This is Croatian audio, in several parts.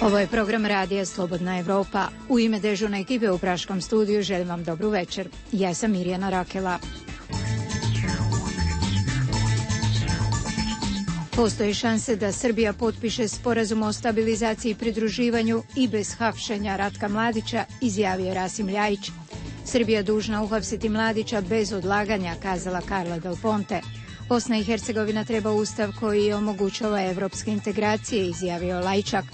Ovo je program radija Slobodna Evropa. U ime dežurne ekipe u Praškom studiju želim vam dobru večer. Ja sam Mirjana Rakela. Postoji šanse da Srbija potpiše sporazum o stabilizaciji i pridruživanju i bez hapšenja Ratka Mladića, izjavio Rasim Ljajić. Srbija dužna uhapsiti Mladića bez odlaganja, kazala Carla Del Ponte. Bosna i Hercegovina treba ustav koji omogućava evropske integracije, izjavio Lajčak.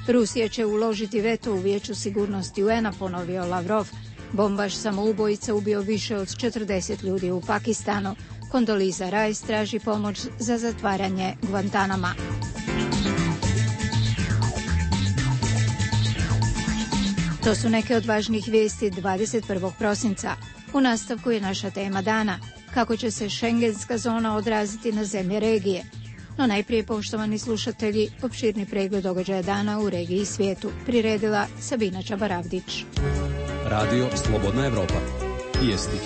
Rusija će uložiti veto u Vijeću sigurnosti UN-a, ponovio Lavrov. Bombaš samoubojica ubio više od 40 ljudi u Pakistanu. Kondoliza Rice traži pomoć za zatvaranje Guantanama. To su neke od važnijih vijesti 21. prosinca. U nastavku je naša tema dana. Kako će se šengenska zona odraziti na zemlje regije? No najprije, poštovani slušatelji, opširni pregled događaja dana u regiji i svijetu. Priredila Sabina Čabaravdić. Radio Slobodna Evropa. Vijesti.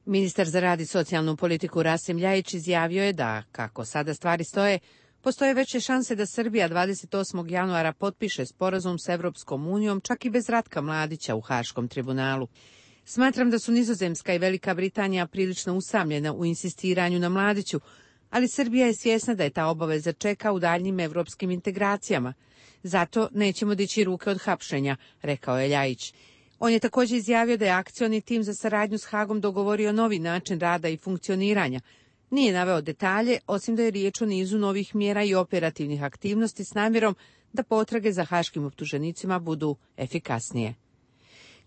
Ministar za rad i socijalnu politiku Rasim Ljajić izjavio je da, kako sada stvari stoje, postoje veće šanse da Srbija 28. januara potpiše sporazum s Evropskom unijom, čak i bez Ratka Mladića u Haškom tribunalu. Smatram da su Nizozemska i Velika Britanija prilično usamljena u insistiranju na Mladiću, ali Srbija je svjesna da je ta obaveza čeka u daljnjim evropskim integracijama. Zato nećemo dići ruke od hapšenja, rekao je Ljajić. On je također izjavio da je akcioni tim za saradnju s Hagom dogovorio novi način rada i funkcioniranja. Nije naveo detalje, osim da je riječ o nizu novih mjera i operativnih aktivnosti s namjerom da potrage za haškim optuženicima budu efikasnije.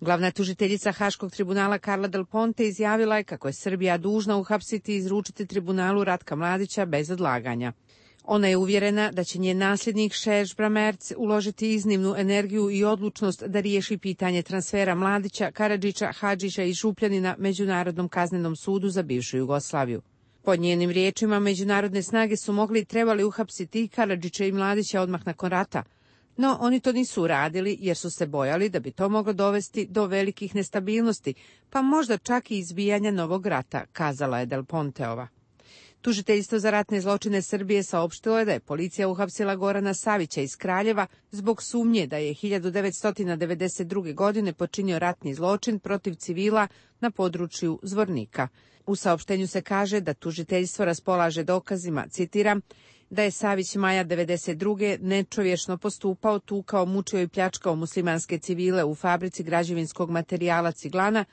Glavna tužiteljica Haškog tribunala Carla Del Ponte izjavila je kako je Srbija dužna uhapsiti i izručiti tribunalu Ratka Mladića bez odlaganja. Ona je uvjerena da će njen nasljednik Serge Bramerc uložiti iznimnu energiju i odlučnost da riješi pitanje transfera Mladića, Karadžića, Hadžića i Župljanina Međunarodnom kaznenom sudu za bivšu Jugoslaviju. Pod njenim riječima, međunarodne snage su mogli i trebali uhapsiti i Karadžića i Mladića odmah nakon rata. No, oni to nisu uradili jer su se bojali da bi to moglo dovesti do velikih nestabilnosti, pa možda čak i izbijanja novog rata, kazala je Del Ponteova. Tužiteljstvo za ratne zločine Srbije saopštilo je da je policija uhapsila Gorana Savića iz Kraljeva zbog sumnje da je 1992. godine počinio ratni zločin protiv civila na području Zvornika. U saopštenju se kaže da tužiteljstvo raspolaže dokazima, citiram, da je Savić maja 1992. nečovješno postupao, tukao, mučio i pljačkao muslimanske civile u fabrici građevinskog materijala Ciglana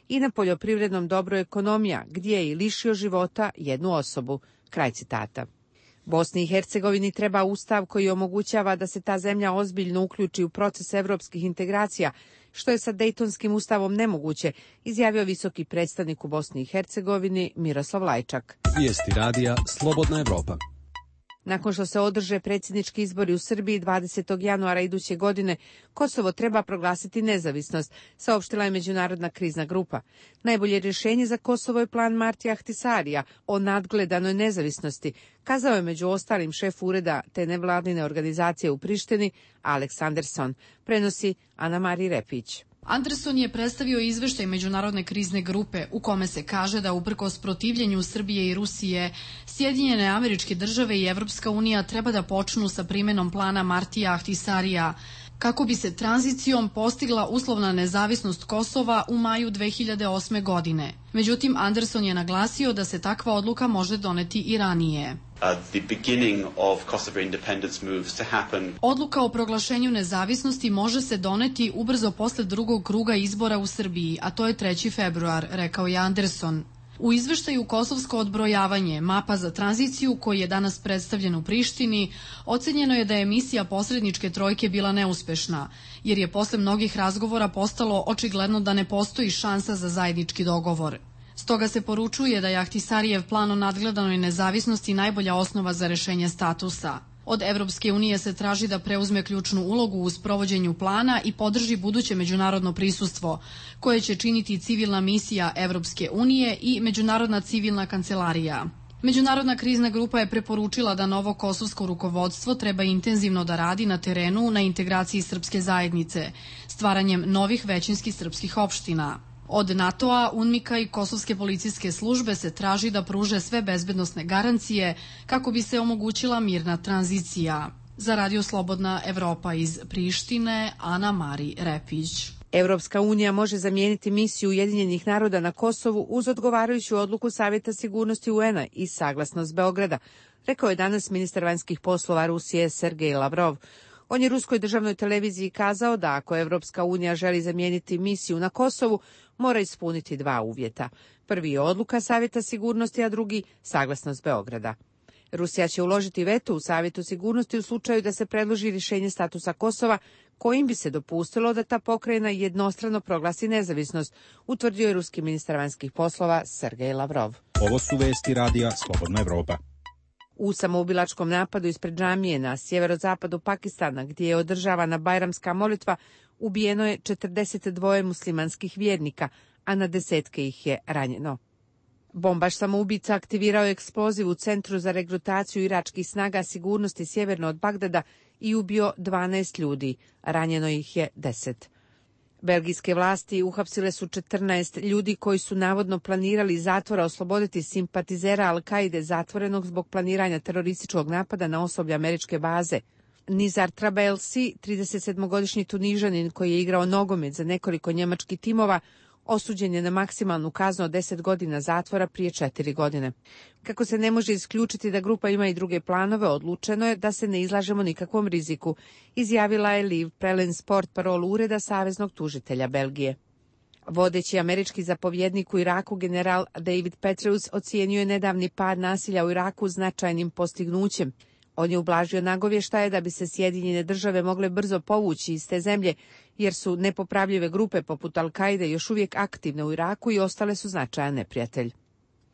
i na poljoprivrednom dobru Ekonomija, gdje je i lišio života jednu osobu. Kraj citata. Bosni i Hercegovini treba ustav koji omogućava da se ta zemlja ozbiljno uključi u proces evropskih integracija, što je sa Dejtonskim ustavom nemoguće, izjavio visoki predstavnik u Bosni i Hercegovini Miroslav Lajčak. Vijesti radija Slobodna Evropa. Nakon što se održe predsjednički izbori u Srbiji 20. januara iduće godine, Kosovo treba proglasiti nezavisnost, saopštila je Međunarodna krizna grupa. Najbolje rješenje za Kosovo je plan Martija Ahtisarija o nadgledanoj nezavisnosti, kazao je među ostalim šef ureda te nevladine organizacije u Prištini, Alex Anderson, prenosi Ana Mari Repić. Anderson je predstavio izveštaj Međunarodne krizne grupe u kome se kaže da uprkos protivljenju Srbije i Rusije, Sjedinjene Američke Države i Evropska unija treba da počnu sa primenom plana Martija Ahtisarija, kako bi se tranzicijom postigla uslovna nezavisnost Kosova u maju 2008. godine. Međutim, Anderson je naglasio da se takva odluka može doneti i ranije. Odluka o proglašenju nezavisnosti može se doneti ubrzo posle drugog kruga izbora u Srbiji, a to je 3. februar, rekao je Anderson. U izveštaju Kosovsko odbrojavanje, mapa za tranziciju koji je danas predstavljen u Prištini, ocenjeno je da je misija posredničke trojke bila neuspešna, jer je posle mnogih razgovora postalo očigledno da ne postoji šansa za zajednički dogovor. Stoga se poručuje da je Ahtisarijev plan o nadgledanoj nezavisnosti najbolja osnova za rešenje statusa. Od Evropske unije se traži da preuzme ključnu ulogu u sprovođenju plana i podrži buduće međunarodno prisustvo, koje će činiti civilna misija Evropske unije i Međunarodna civilna kancelarija. Međunarodna krizna grupa je preporučila da novo kosovsko rukovodstvo treba intenzivno da radi na terenu na integraciji srpske zajednice, stvaranjem novih većinskih srpskih opština. Od NATO-a, UNMIK-a i kosovske policijske službe se traži da pruže sve bezbednosne garancije kako bi se omogućila mirna tranzicija. Za Radio Slobodna Evropa iz Prištine, Ana Mari Repić. Evropska unija može zamijeniti misiju Ujedinjenih naroda na Kosovu uz odgovarajuću odluku Savjeta sigurnosti UN-a i saglasnost Beograda, rekao je danas ministar vanjskih poslova Rusije Sergej Lavrov. On je ruskoj državnoj televiziji kazao da ako Evropska unija želi zamijeniti misiju na Kosovu, mora ispuniti dva uvjeta. Prvi je odluka Savjeta sigurnosti, a drugi saglasnost Beograda. Rusija će uložiti veto u Savjetu sigurnosti u slučaju da se predloži rješenje statusa Kosova, kojim bi se dopustilo da ta pokrajina jednostrano proglasi nezavisnost, utvrdio je ruski ministar vanjskih poslova Sergej Lavrov. Ovo su vesti Radija Slobodna Evropa. U samoubilačkom napadu ispred džamije na sjeverozapadu Pakistana, gdje je održavana bajramska molitva, ubijeno je 42 muslimanskih vjernika, a na desetke ih je ranjeno. Bombaš samoubica aktivirao je eksploziv u centru za regrutaciju iračkih snaga sigurnosti sjeverno od Bagdada i ubio 12 ljudi, ranjeno ih je 10. Belgijske vlasti uhapsile su 14 ljudi koji su navodno planirali iz zatvora osloboditi simpatizera Al-Kaide zatvorenog zbog planiranja terorističkog napada na osoblje američke baze. Nizar Trabelsi, 37-godišnji Tunižanin koji je igrao nogomet za nekoliko njemačkih timova, osuđen je na maksimalnu kaznu od 10 godina zatvora prije 4 godine. Kako se ne može isključiti da grupa ima i druge planove, odlučeno je da se ne izlažemo nikakvom riziku, izjavila je Liv Prelen Sport parol ureda saveznog tužitelja Belgije. Vodeći američki zapovjednik u Iraku general David Petraeus ocijenio je nedavni pad nasilja u Iraku značajnim postignućem. On je ublažio nagovještaje da bi se Sjedinjene države mogle brzo povući iz te zemlje, jer su nepopravljive grupe poput Al-Kaide još uvijek aktivne u Iraku i ostale su značajan neprijatelj.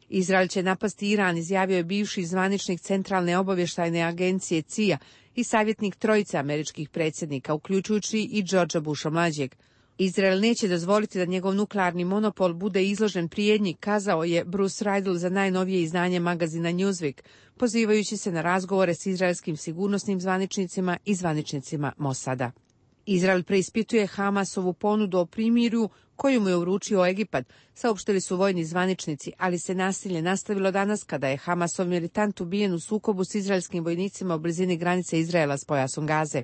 Izrael će napasti Iran, izjavio je bivši zvaničnik Centralne obavještajne agencije CIA i savjetnik trojice američkih predsjednika, uključujući i Georgea Busha mlađeg. Izrael neće dozvoliti da njegov nuklearni monopol bude izložen prijetnji, kazao je Bruce Riedel za najnovije izdanje magazina Newsweek, pozivajući se na razgovore s izraelskim sigurnosnim zvaničnicima i zvaničnicima Mosada. Izrael preispituje Hamasovu ponudu o primirju koju mu je uručio Egipat, saopštili su vojni zvaničnici, ali se nasilje nastavilo danas kada je Hamasov militant ubijen u sukobu s izraelskim vojnicima u blizini granice Izraela s pojasom Gaze.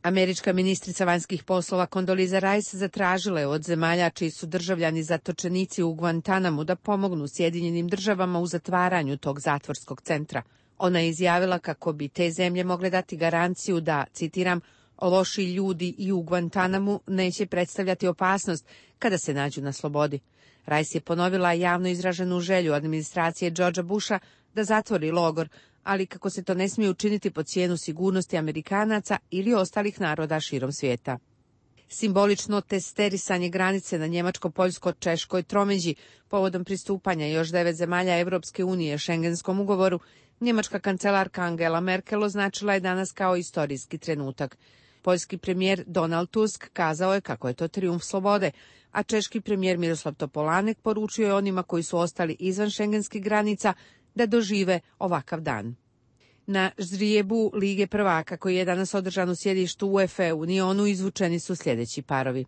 Američka ministrica vanjskih poslova Condoleezza Rice zatražila je od zemalja čiji su državljani zatočenici u Guantanamu da pomognu Sjedinjenim državama u zatvaranju tog zatvorskog centra. Ona je izjavila kako bi te zemlje mogle dati garanciju da, citiram, loši ljudi i u Guantanamu neće predstavljati opasnost kada se nađu na slobodi. Rice je ponovila javno izraženu želju administracije Georgea Busha da zatvori logor, ali kako se to ne smije učiniti po cijenu sigurnosti Amerikanaca ili ostalih naroda širom svijeta. Simbolično testerisanje granice na njemačko-poljsko-češkoj tromeđi povodom pristupanja još 9 zemalja Evropske unije Schengenskom ugovoru, njemačka kancelarka Angela Merkel označila je danas kao istorijski trenutak. Poljski premijer Donald Tusk kazao je kako je to trijumf slobode, a češki premijer Miroslav Topolanek poručio je onima koji su ostali izvan šengenskih granica da dožive ovakav dan. Na ždrijebu Lige prvaka koji je danas održan u sjedištu UEFA u Nionu izvučeni su sljedeći parovi: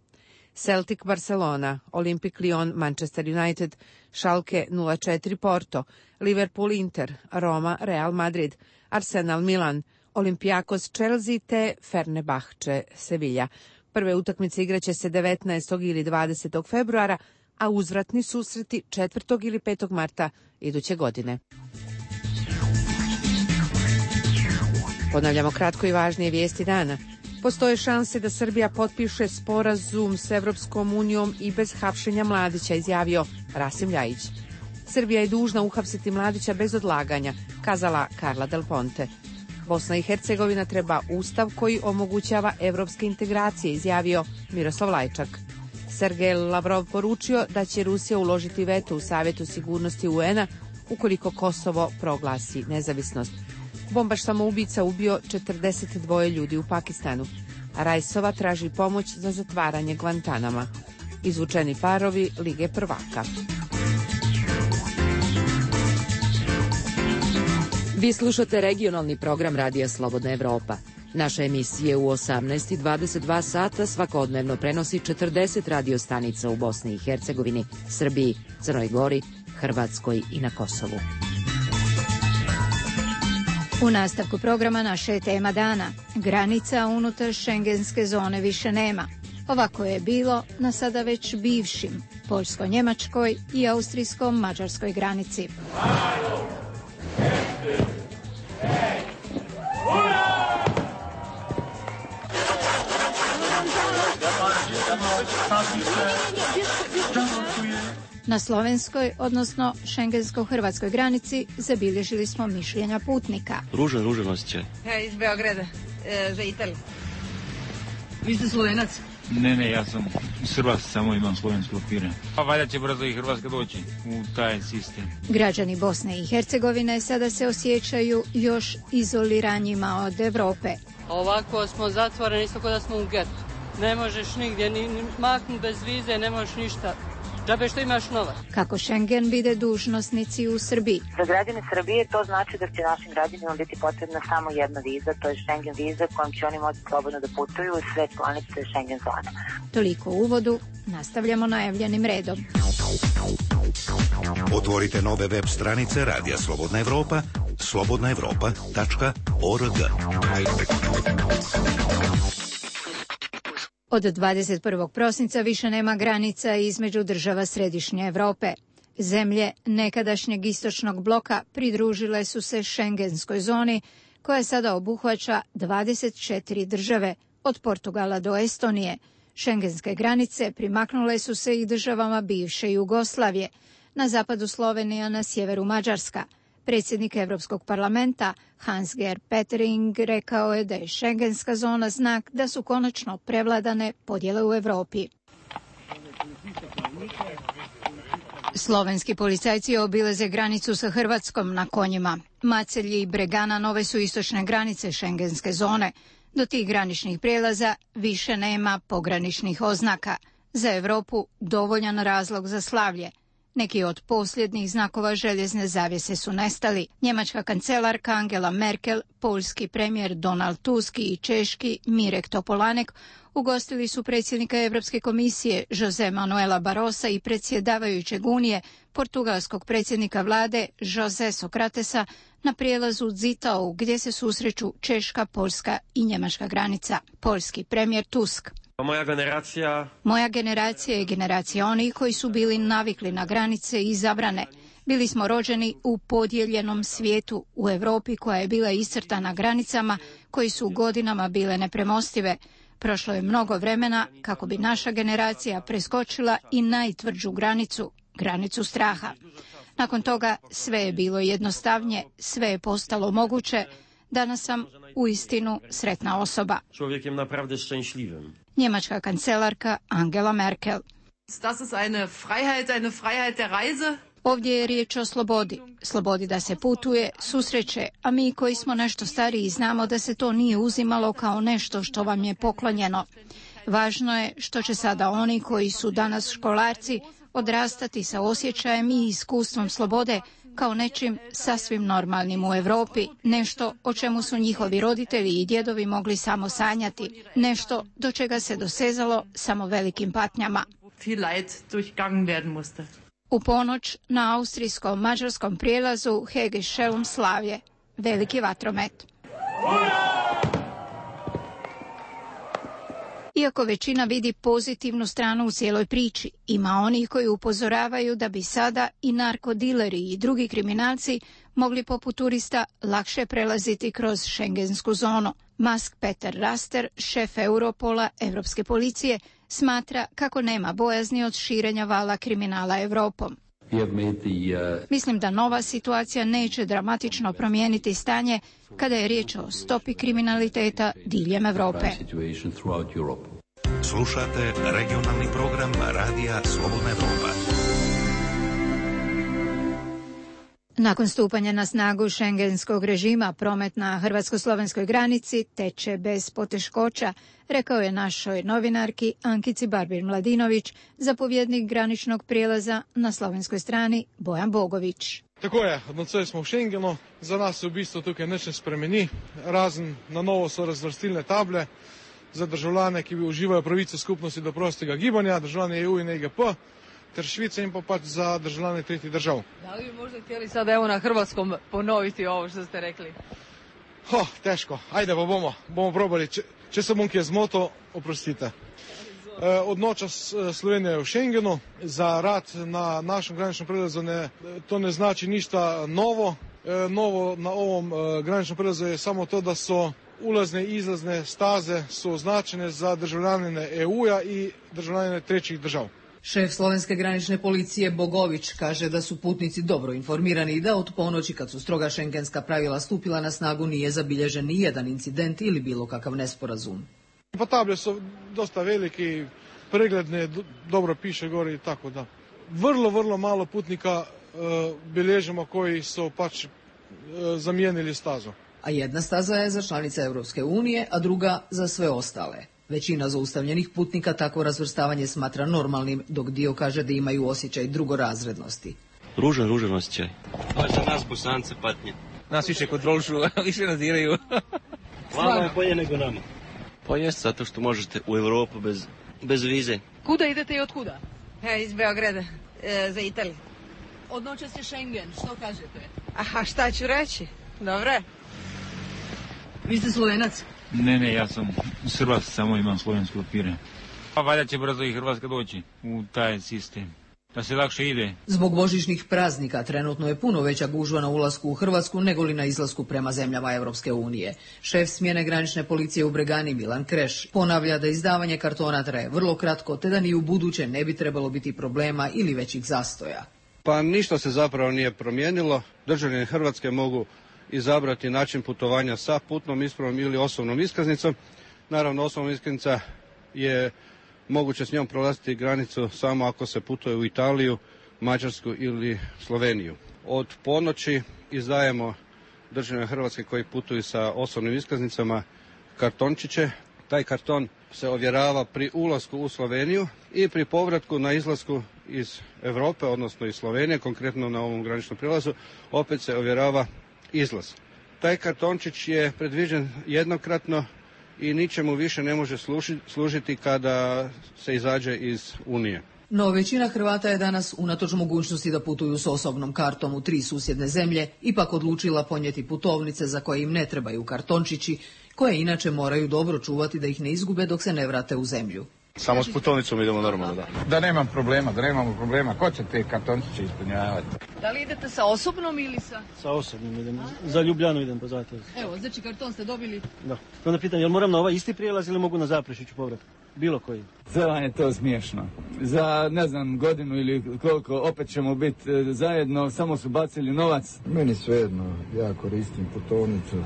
Celtic Barcelona, Olympic Lyon Manchester United, Schalke 04 Porto, Liverpool Inter, Roma Real Madrid, Arsenal Milan, Olympiakos Chelsea te Fenerbahče Sevilla. Prve utakmice igraće se 19. ili 20. februara, a uzvratni susreti 4. ili 5. marta iduće godine. Ponavljamo kratko i važnije vijesti dana. Postoje šanse da Srbija potpiše sporazum s Evropskom unijom i bez hapšenja Mladića, izjavio Rasim Ljajić. Srbija je dužna uhapsiti Mladića bez odlaganja, kazala Karla Del Ponte. Bosna i Hercegovina treba ustav koji omogućava evropske integracije, izjavio Miroslav Lajčak. Sergej Lavrov poručio da će Rusija uložiti veto u Savjetu sigurnosti UN-a ukoliko Kosovo proglasi nezavisnost. Bombaš samoubica ubio 42 ljudi u Pakistanu, a Rajsova traži pomoć za zatvaranje Guantanama. Izvučeni parovi Lige prvaka. Vi slušate regionalni program Radija Slobodna Evropa. Naše emisije u 18 i 22 sata svakodnevno prenosi 40 radiostanica u Bosni i Hercegovini, Srbiji, Crnoj Gori, Hrvatskoj i na Kosovu. U nastavku programa naša je tema dana. Granica unutar šengenske zone više nema. Ovako je bilo na sada već bivšim poljsko-njemačkoj i austrijsko-mađarskoj granici. Na slovenskoj, odnosno šengensko-hrvatskoj granici zabilježili smo mišljenja putnika. Ružan osjećaj. Ja iz Beograda, za Italiju. Vi ste Slovenac? Ne, ja sam Srbac, samo imam slovenske papire. Pa valjda će brzo i Hrvatska doći u taj sistem. Građani Bosne i Hercegovine sada se osjećaju još izoliranjima od Evrope. Ovako smo zatvoreni, isto kao da smo u getu. Ne možeš nigdje, ni maknuti bez vize, ne možeš ništa. Džabe što imaš novac. Kako Schengen vide dužnosnici u Srbiji? Za građane Srbije to znači da će našim građanima biti potrebna samo jedna viza, to je Schengen viza kojom će oni moći slobodno da putuju u sve članice Schengen zone. Toliko u uvodu, nastavljamo najavljenim redom. Otvorite nove web stranice Radija Slobodna Evropa, slobodnaevropa.org. Od 21. prosinca više nema granica između država Središnje Evrope. Zemlje nekadašnjeg istočnog bloka pridružile su se šengenskoj zoni, koja sada obuhvaća 24 države, od Portugala do Estonije. Šengenske granice primaknule su se i državama bivše Jugoslavije, na zapadu Slovenija, na sjeveru Mađarska. Predsjednik Europskog parlamenta Hans-Gert Pöttering rekao je da je šengenska zona znak da su konačno prevladane podjele u Europi. Slovenski policajci obilaze granicu sa Hrvatskom na konjima. Macelji i Bregana nove su istočne granice šengenske zone. Do tih graničnih prijelaza više nema pograničnih oznaka. Za Europu dovoljan razlog za slavlje. Neki od posljednjih znakova željezne zavjese su nestali. Njemačka kancelarka Angela Merkel, poljski premijer Donald Tusk i češki Mirek Topolanek ugostili su predsjednika Europske komisije Jose Manuela Barrosa i predsjedavajućeg Unije, portugalskog predsjednika vlade Jose Sokratesa, na prijelazu Zittau gdje se susreću češka, poljska i njemačka granica. Poljski premijer Tusk: Moja generacija je generacija onih koji su bili navikli na granice i zabrane. Bili smo rođeni u podijeljenom svijetu, u Europi koja je bila iscrtana granicama koji su godinama bile nepremostive. Prošlo je mnogo vremena kako bi naša generacija preskočila i najtvrđu granicu, granicu straha. Nakon toga sve je bilo jednostavnije, sve je postalo moguće. Danas sam uistinu sretna osoba. Njemačka kancelarka Angela Merkel: Ovdje je riječ o slobodi. Slobodi da se putuje, susreće, a mi koji smo nešto stariji znamo da se to nije uzimalo kao nešto što vam je poklonjeno. Važno je što će sada oni koji su danas školarci odrastati sa osjećajem i iskustvom slobode kao nečim sasvim normalnim u Europi, nešto o čemu su njihovi roditelji i djedovi mogli samo sanjati, nešto do čega se dosezalo samo velikim patnjama. U ponoć na austrijsko-mađarskom prijelazu Hege-Schelm slavlje, veliki vatromet. Iako većina vidi pozitivnu stranu u cijeloj priči, ima onih koji upozoravaju da bi sada i narkodileri i drugi kriminalci mogli poput turista lakše prelaziti kroz šengensku zonu. Mask Peter Raster, šef Europola, Europske policije, smatra kako nema bojazni od širenja vala kriminala Europom. Mislim da nova situacija neće dramatično promijeniti stanje kada je riječ o stopi kriminaliteta diljem Europe. Slušate regionalni program Radija Slobodna Evropa. Nakon stupanja na snagu šengenskog režima, promet na hrvatsko-slovenskoj granici teče bez poteškoća, rekao je našoj novinarki Ankici Barbir-Mladinović, zapovjednik graničnog prijelaza na slovenskoj strani Bojan Bogović. Tako je, nocoj smo v Schengenu, za nas se v bistvu tukaj nič ne spremeni, razen na novo so razvrstilne table za državljane, ki uživajo pravice skupnosti do prostega gibanja, državljane EU in EGP, ter Švice in pa pač za državljane tretjih držav. Da li bi možda htjeli sad evo na hrvatskom ponoviti ovo što ste rekli? Teško, ajde pa bomo probali, če se bom kje zmotil, oprostite. Odnoča Slovenija v Schengenu, za rad na našem graničnom prelazu to ne znači ništa novo. Novo na ovom graničnom prelazu je samo to da su ulazne i izlazne staze su označene za državljane EU-a i državljane trećih država. Šef slovenske granične policije Bogović kaže da su putnici dobro informirani i da od ponoći kad su stroga šengenska pravila stupila na snagu nije zabilježen ni jedan incident ili bilo kakav nesporazum. Pa table su dosta veliki, pregledne, dobro piše gore i tako da. Vrlo malo putnika bilježimo koji su pač zamijenili stazu. A jedna staza je za članice Europske unije, a druga za sve ostale. Većina zaustavljenih putnika takvo razvrstavanje smatra normalnim, dok dio kaže da imaju osjećaj drugorazrednosti. Ružan osjećaj. To je za nas Bosance patnje. Nas više kontrolišu, više nadziraju. Vama je bolje nego nama. Pa jest, zato što možete u Europu bez vize. Kuda idete i od kuda? Iz Beograda, za Italiju. Odnoća se Schengen, što kažete? Aha, šta ću reći? Dobre. Vi ste Slovenac? Ne, ja sam Srbac, samo imam slovenske papire. Pa valjda će brzo i Hrvatska doći u taj sistem, da se lakše ide. Zbog božićnih praznika trenutno je puno veća gužva na ulasku u Hrvatsku nego li na izlasku prema zemljama Europske unije. Šef smjene granične policije u Bregani Milan Kreš ponavlja da izdavanje kartona traje vrlo kratko, te da ni u buduće ne bi trebalo biti problema ili većih zastoja. Pa ništa se zapravo nije promijenilo. Državljani Hrvatske mogu izabrati način putovanja sa putnom ispravom ili osobnom iskaznicom. Naravno, osobna iskaznica je moguće s njom prolaziti granicu samo ako se putuje u Italiju, Mađarsku ili Sloveniju. Od ponoći izdajemo državljane Hrvatske koji putuju sa osobnim iskaznicama kartončiće. Taj karton se ovjerava pri ulasku u Sloveniju i pri povratku na izlasku iz Europe, odnosno iz Slovenije, konkretno na ovom graničnom prijelazu, opet se ovjerava izlaz. Taj kartončić je predviđen jednokratno i ničemu više ne može služiti kada se izađe iz Unije. No većina Hrvata je danas, unatoč mogućnosti da putuju s osobnom kartom u 3 susjedne zemlje, ipak odlučila ponijeti putovnice za koje im ne trebaju kartončići, koje inače moraju dobro čuvati da ih ne izgube dok se ne vrate u zemlju. Samo s putovnicom idemo normalno, da. Da nemamo problema, ko će te kartončiće ispunjavati? Da li idete sa osobnom ili sa? Sa osobnom idem, za Ljubljanu idem po zato. Evo, znači karton ste dobili? Da. Onda pitam, jel moram na ovaj isti prijelaz ili mogu na Zaprešiću povrat? Bilo koji. Sve vam je to smiješno. Za, ne znam, godinu ili koliko opet ćemo biti zajedno, samo su bacili novac. Meni svejedno, ja koristim putovnicu.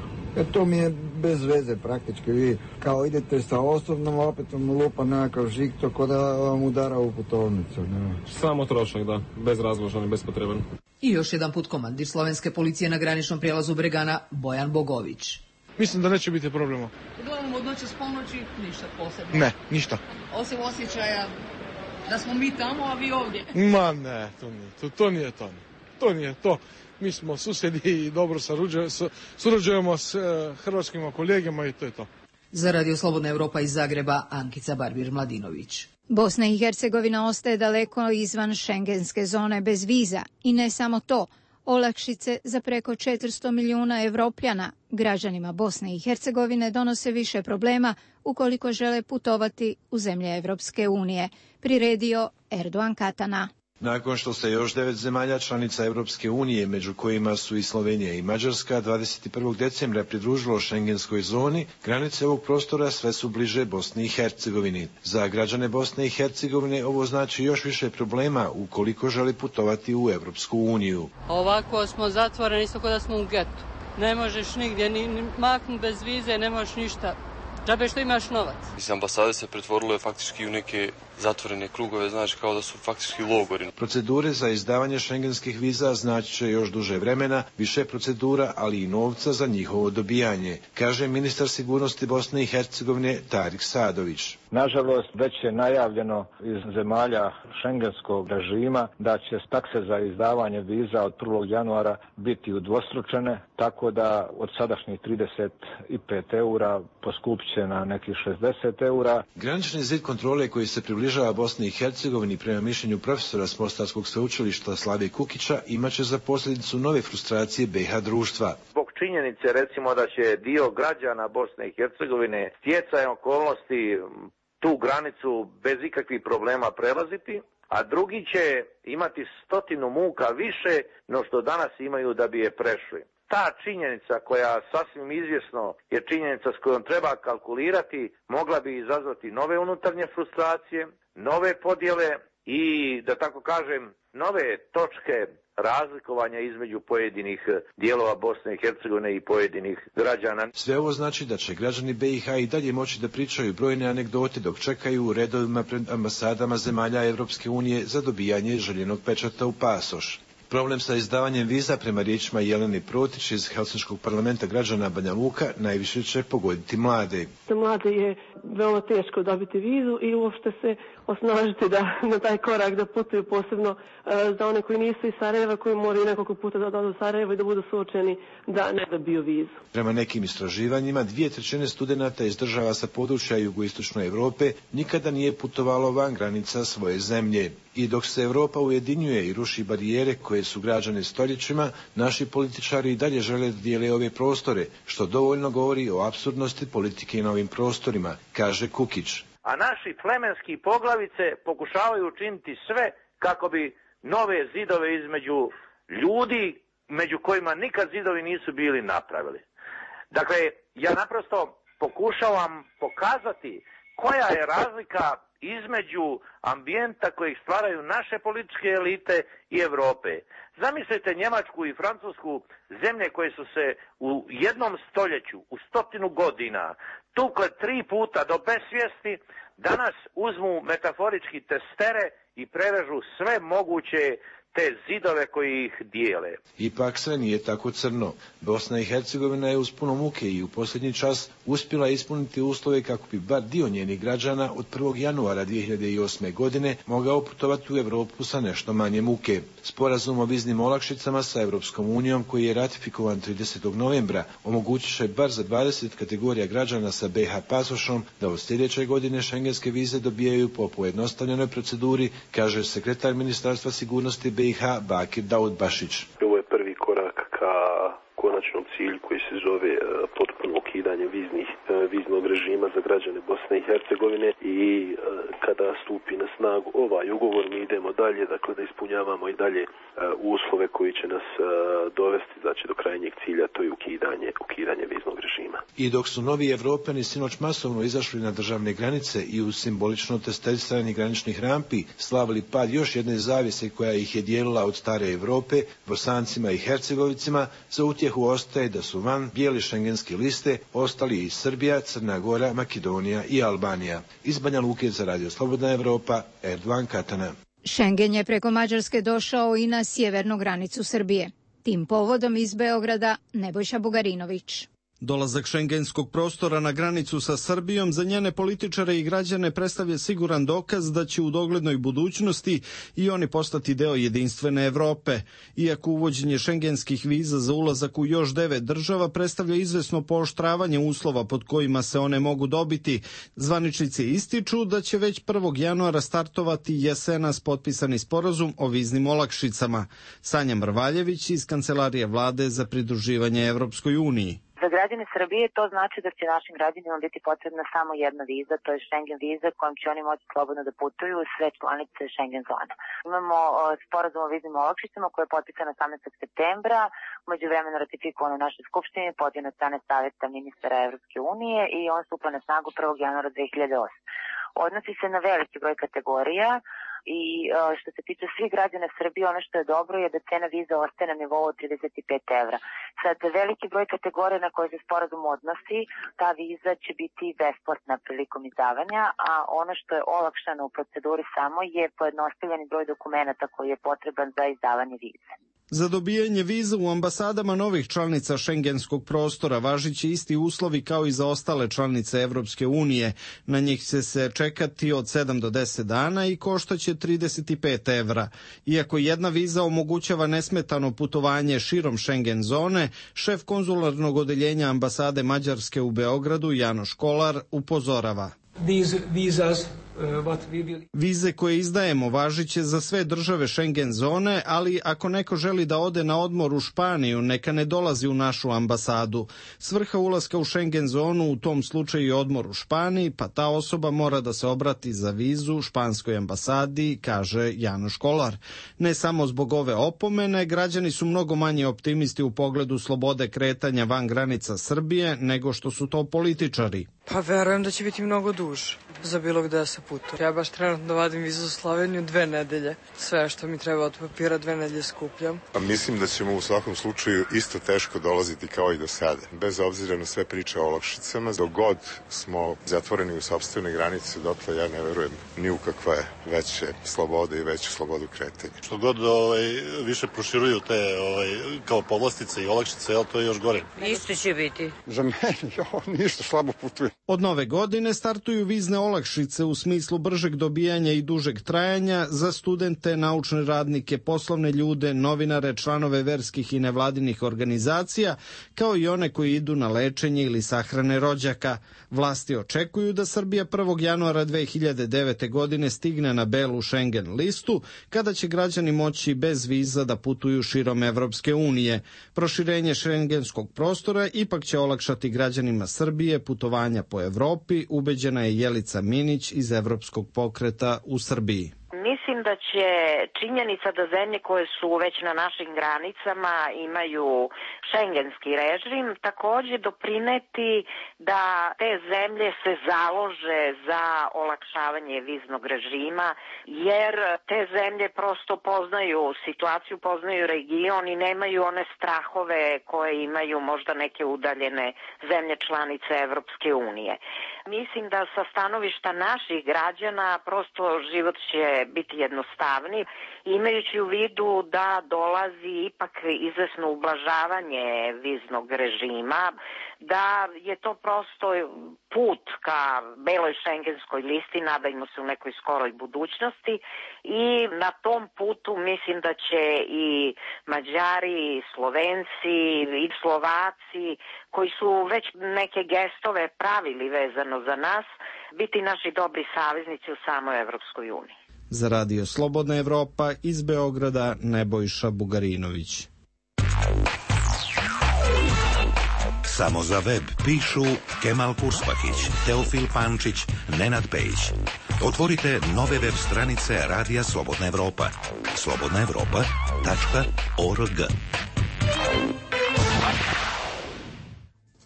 To mi je bez veze praktički. Vi kao idete sa osobnom, opet vam lupa nekakav žig, to ko da vam udara u putovnicu. Ne. Samo trošak, da. Bezrazložan i bespotreban. I još jedan put komandir slovenske policije na graničnom prijelazu Bregana, Bojan Bogović. Mislim da neće biti problema. Uglavnom od noći s ponoći ništa posebno. Ne, ništa. Osim osjećaja da smo mi tamo, a vi ovdje. Ma ne, to nije to. To nije to. Mi smo susjedi i dobro surađujemo s hrvatskim kolegama i to je to. Za Radio Slobodna Europa iz Zagreba, Ankica Barbir-Mladinović. Bosna i Hercegovina ostaje daleko izvan šengenske zone bez viza i ne samo to. Olakšice za preko 400 milijuna Evropljana građanima Bosne i Hercegovine donose više problema ukoliko žele putovati u zemlje Evropske unije, priredio Erdogan Katana. Nakon što se još 9 zemalja članica Europske unije, među kojima su i Slovenija i Mađarska, 21. decembra pridružilo šengenskoj zoni, granice ovog prostora sve su bliže Bosni i Hercegovini. Za građane Bosne i Hercegovine ovo znači još više problema ukoliko žele putovati u Europsku uniju. Ovako smo zatvoreni, isto kao da smo u getu. Ne možeš nigdje ni maknuti bez vize, ne možeš ništa. Džabe što imaš novac. Iz ambasade se pretvorilo faktički u neke zatvorene krugove, znači kao da su faktički logori. Procedure za izdavanje šengenskih viza znači će još duže vremena, više procedura, ali i novca za njihovo dobijanje, kaže ministar sigurnosti Bosne i Hercegovine Tarik Sadović. Nažalost, već je najavljeno iz zemalja šengenskog režima da će takse za izdavanje viza od 1. januara biti udvostručene, tako da od sadašnjih 35 eura poskupit će na nekih 60 eura. Granični zid kontrole koji se približava Bosni i Hercegovini prema mišljenju profesora s Mostarskog sveučilišta Slave Kukića imaće za posljedicu nove frustracije BiH društva. Zbog činjenice recimo da će dio građana Bosne i Hercegovine stjecajem okolnosti tu granicu bez ikakvih problema prelaziti, a drugi će imati 100 muka više no što danas imaju da bi je prešli. Ta činjenica koja sasvim izvjesno je činjenica s kojom treba kalkulirati, mogla bi izazvati nove unutarnje frustracije, nove podjele i, da tako kažem, nove točke razlikovanja između pojedinih dijelova Bosne i Hercegovine i pojedinih građana. Sve ovo znači da će građani BiH i dalje moći da pričaju brojne anegdote dok čekaju u redovima pred ambasadama zemalja Evropske unije za dobijanje željenog pečata u pasoš. Problem sa izdavanjem viza, prema riječima Jelene Protić iz Helsinškog parlamenta građana Banja Luka, najviše će pogoditi mlade. Za mlade je veoma teško dobiti vizu i uopšte se osnažiti da na taj korak da putuju, posebno za one koji nisu iz Sarajeva, koji moraju nekoliko puta da odu u Sarajevo i da budu suočeni da ne dobiju vizu. Prema nekim istraživanjima, 2/3 studenata iz država sa područja jugoistočne Europe nikada nije putovalo van granica svoje zemlje. I dok se Europa ujedinjuje i ruši barijere koje su građane stoljećima, naši političari i dalje žele da dijele ove prostore, što dovoljno govori o apsurdnosti politike na ovim prostorima, kaže Kukić. A naši plemenski poglavice pokušavaju učiniti sve kako bi nove zidove između ljudi, među kojima nikad zidovi nisu bili, napravili. Dakle, ja naprosto pokušavam pokazati koja je razlika između ambijenta kojeg stvaraju naše političke elite i Europe. Zamislite Njemačku i Francusku, zemlje koje su se u jednom stoljeću, u 100 godina, tukle 3 puta do besvijesti, danas uzmu metaforički testere i prerežu sve moguće te zidove koji ih dijele. Ipak sve nije tako crno. Bosna i Hercegovina je uz puno muke i u posljednji čas uspjela ispuniti uslove kako bi bar dio njenih građana od 1. januara 2008. godine mogao putovati u Europu sa nešto manje muke. Sporazum o viznim olakšicama sa Europskom unijom, koji je ratifikovan 30. novembra, omogućit će bar za 20 kategorija građana sa BiH pasošom da od sljedeće godine šengenske vize dobijaju po pojednostavljenoj proceduri, kaže sekretar Ministarstva sigurnosti BiH Bakir Daudbašić. Ovo je prvi korak ka konačnom cilju koji se zove potpuno ukidanje viznog režima za građane Bosne i Hercegovine i kada stupi na snagu ovaj ugovor mi idemo dalje, dakle da ispunjavamo i dalje uslove koji će nas dovesti, znači do krajnjeg cilja, to je ukidanje viznog režima. I dok su novi Evropljani sinoć masovno izašli na državne granice i uz simbolično testiranje graničnih rampi slavili pad još jedne zavjese koja ih je dijelila od stare Europe, Bosancima i Hercegovicima, za utjehu ostaje da su van bijele šengenske liste ostali i Srbija, Crna Gora, Makedonija i Albanija. Iz Banja Luke za Radio Slobodna Evropa, Erdogan Katana. Schengen je preko Mađarske došao i na sjevernu granicu Srbije. Tim povodom iz Beograda Nebojša Bugarinović. Dolazak šengenskog prostora na granicu sa Srbijom za njene političare i građane predstavlja siguran dokaz da će u doglednoj budućnosti i oni postati deo jedinstvene Evrope. Iako uvođenje šengenskih viza za ulazak u još 9 država predstavlja izvesno pooštravanje uslova pod kojima se one mogu dobiti, zvaničnici ističu da će već 1. januara startovati jesenas potpisani sporazum o viznim olakšicama. Sanja Mrvaljević iz Kancelarije vlade za pridruživanje Evropskoj uniji. Za građane Srbije to znači da će našim građanima biti potrebna samo jedna viza, to je Schengen viza kojom će oni moći slobodno da putuju u sve članice Schengen zona. Imamo sporazum o viznim olakšicama koji je potpisan 18. septembra, u međuvremenu ratifikovan u našoj skupštini, podnesen od strane Saveta ministara Evropske unije i on stupa na snagu 1. januara 2008. Odnosi se na veliki broj kategorija i što se tiče svih građana Srbije, ono što je dobro je da cena viza ostaje na nivou od 35 evra. Sad, veliki broj kategorija na koje se sporazum odnosi, ta viza će biti besplatna prilikom izdavanja, a ono što je olakšano u proceduri samo je pojednostavljeni broj dokumenata koji je potreban za izdavanje vize. Za dobijanje viza u ambasadama novih članica šengenskog prostora važiće isti uslovi kao i za ostale članice Evropske unije. Na njih će se čekati od 7 do 10 dana i koštaće 35 evra. Iako jedna viza omogućava nesmetano putovanje širom Schengen zone, šef konzularnog odeljenja ambasade Mađarske u Beogradu, Janoš Kolar, upozorava. Vize koje izdajemo važiće za sve države Schengen zone, ali ako neko želi da ode na odmor u Španiju, neka ne dolazi u našu ambasadu. Svrha ulaska u Schengen zonu u tom slučaju je odmor u Španiji, pa ta osoba mora da se obrati za vizu španskoj ambasadi, kaže Janoš Kolar. Ne samo zbog ove opomene, građani su mnogo manje optimisti u pogledu slobode kretanja van granica Srbije nego što su to političari. Pa verujem da će biti mnogo duže za bilo gde se putuje. Ja baš trenutno vadim vizu za Sloveniju 2 nedelje. Sve što mi treba od papira 2 nedelje skupljam. A mislim da ćemo u svakom slučaju isto teško dolaziti kao i do sada. Bez obzira na sve priče o olakšicama, dok god smo zatvoreni u sopstvene granice, dotle ja ne verujem ni u kakve veće slobode i veću slobodu kretanja. Što god više proširuju te kao povlastice i olakšice, to je još gore. Isto će biti. Za mene, ništa, slabo putujem. Od nove godine startuju vizne olakšice u smislu bržeg dobijanja i dužeg trajanja za studente, naučne radnike, poslovne ljude, novinare, članove verskih i nevladinih organizacija, kao i one koji idu na lečenje ili sahrane rođaka. Vlasti očekuju da Srbija 1. januara 2009. godine stigne na belu Schengen listu, kada će građani moći bez viza da putuju širom Evropske unije. Proširenje šengenskog prostora ipak će olakšati građanima Srbije putovanja po Evropi, ubeđena je Jelica Minić iz Evropskog pokreta u Srbiji. Mislim da će činjenica da zemlje koje su već na našim granicama imaju šengenski režim takođe doprineti da te zemlje se založe za olakšavanje viznog režima, jer te zemlje prosto poznaju situaciju, poznaju region i nemaju one strahove koje imaju možda neke udaljene zemlje članice Evropske unije. Mislim da sa stanovišta naših građana prosto život će biti jednostavniji, imajući u vidu da dolazi ipak izvesno ublažavanje viznog režima, da je to prosto put ka beloj šengenskoj listi, nadajmo se u nekoj skoroj budućnosti, i na tom putu mislim da će i Mađari, i Slovenci, i Slovaci, koji su već neke gestove pravili vezano za nas, biti naši dobri saveznici u samoj Evropskoj uniji. Za Radio Slobodna Evropa iz Beograda Nebojša Bugarinović. Samo za web pišu Kemal Kurspakić, Teofil Pančić, Nenad Pejić. Otvorite nove web stranice Radija Slobodna Evropa. slobodnaevropa.org.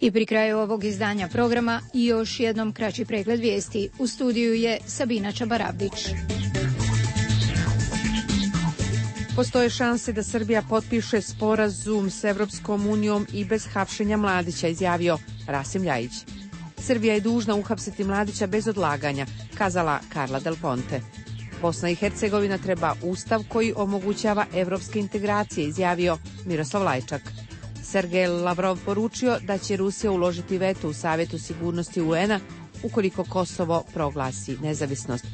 I pri kraju ovog izdanja programa još jednom kraći pregled vijesti. U studiju je Sabina Čabaravdić. Postoje šanse da Srbija potpiše sporazum s Evropskom unijom i bez hapšenja Mladića, izjavio Rasim Ljajić. Srbija je dužna uhapsiti Mladića bez odlaganja, kazala Karla Del Ponte. Bosna i Hercegovina treba ustav koji omogućava evropske integracije, izjavio Miroslav Lajčak. Sergej Lavrov poručio da će Rusija uložiti veto u Savjetu sigurnosti UN-a ukoliko Kosovo proglasi nezavisnost.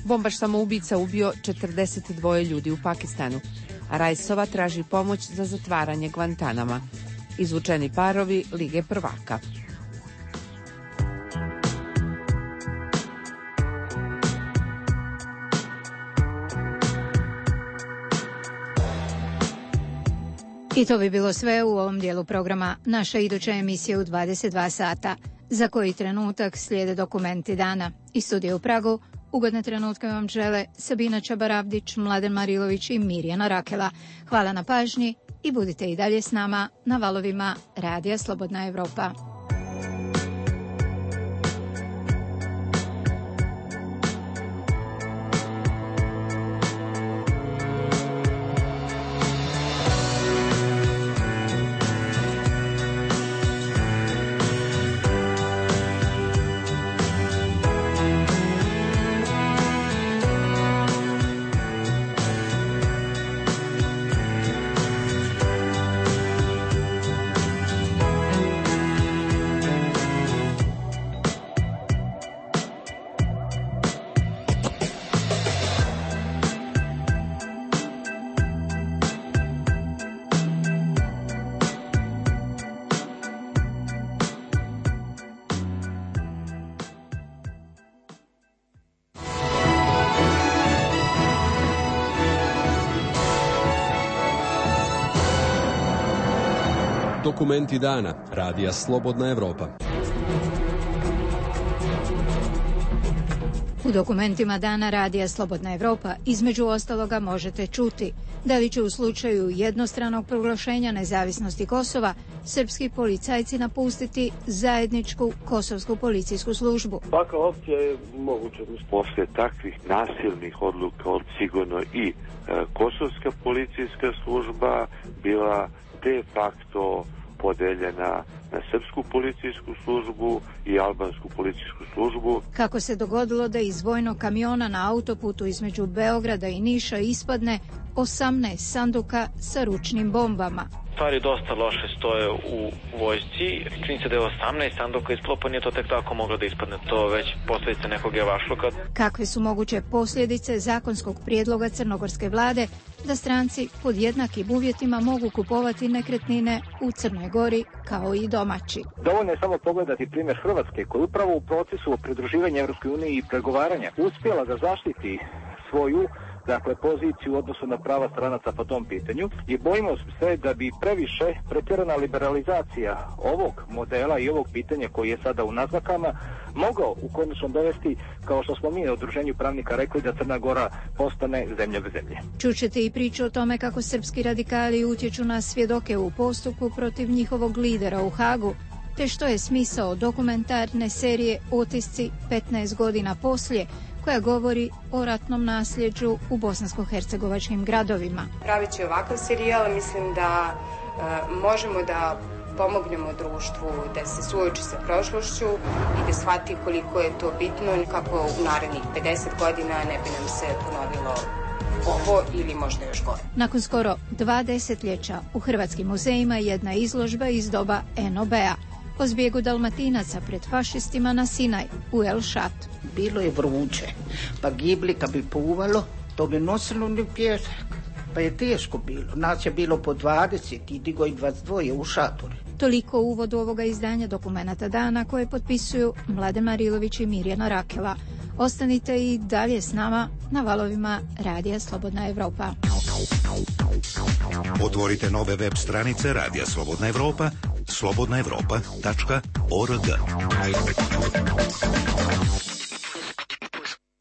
Bombaš samoubica ubio 42 ljudi u Pakistanu, a Rajsova traži pomoć za zatvaranje Guantanama. Izvučeni parovi Lige prvaka. I to bi bilo sve u ovom dijelu programa. Naša iduća emisija u 22 sata. Za koji trenutak slijede dokumenti dana. Iz studija u Pragu ugodne trenutke vam žele Sabina Čabaravdić, Mladen Marilović i Mirjana Rakela. Hvala na pažnji i budite i dalje s nama na valovima Radija Slobodna Evropa. Dokumenti dana Radija Slobodna Evropa. U dokumentima dana Radija Slobodna Evropa između ostaloga možete čuti da li će u slučaju jednostranog proglašenja nezavisnosti Kosova srpski policajci napustiti zajedničku kosovsku policijsku službu. Takva opcija je moguća. Posle takvih nasilnih odluka od sigurno i kosovska policijska služba bila de facto podeljena na srpsku policijsku službu i albansku policijsku službu. Kako se dogodilo da iz vojnog kamiona na autoputu između Beograda i Niša ispadne 18 sanduka sa ručnim bombama. Stvari dosta loše stoje u vojsci. Čini se da je 18 sanduka ispalo, pa nije to tek tako moglo da ispadne. To već posljedice nekog javašluka. Kakve su moguće posljedice zakonskog prijedloga crnogorske vlade da stranci pod jednakim uvjetima mogu kupovati nekretnine u Crnoj Gori kao i domaći? Dovoljno je samo pogledati primjer Hrvatske, koja upravo u procesu pridruživanja Europskoj uniji i pregovaranja uspjela da zaštiti svoju poziciju u odnosu na prava stranaca po tom pitanju i bojimo se da bi previše pretjerana liberalizacija ovog modela i ovog pitanja koji je sada u naznakama mogao u konačnom dovesti, kao što smo mi na udruženju pravnika rekli, da Crna Gora postane zemlja bez zemlje. Čućete i priču o tome kako srpski radikali utječu na svjedoke u postupku protiv njihovog lidera u Hagu, te što je smisao dokumentarne serije Otisci 15 godina poslije, koja govori o ratnom nasljeđu u bosansko-hercegovačkim gradovima. Praveći ovakav serijal mislim da možemo da pomognemo društvu da se suoči sa prošlošću i da shvati koliko je to bitno, kako u narednih 50 godina ne bi nam se ponovilo ovo ili možda još gore. Nakon skoro 2 desetljeća u hrvatskim muzejima jedna izložba iz doba NOB-a o zbjegu Dalmatinaca pred fašistima na Sinaj u El Šat. Bilo je vruće, pa gibli kad bi puvalo, to bi nosilo u pjesak, pa je teško bilo. Nas je bilo po 20 i digo i 22 u šatore. Toliko u uvodu ovoga izdanja Dokumenata dana koje potpisuju Mladen Marilović i Mirjana Rakela. Ostanite i dalje s nama na valovima Radija Slobodna Evropa. Otvorite nove web stranice Radija Slobodna Evropa, slobodnaevropa.org.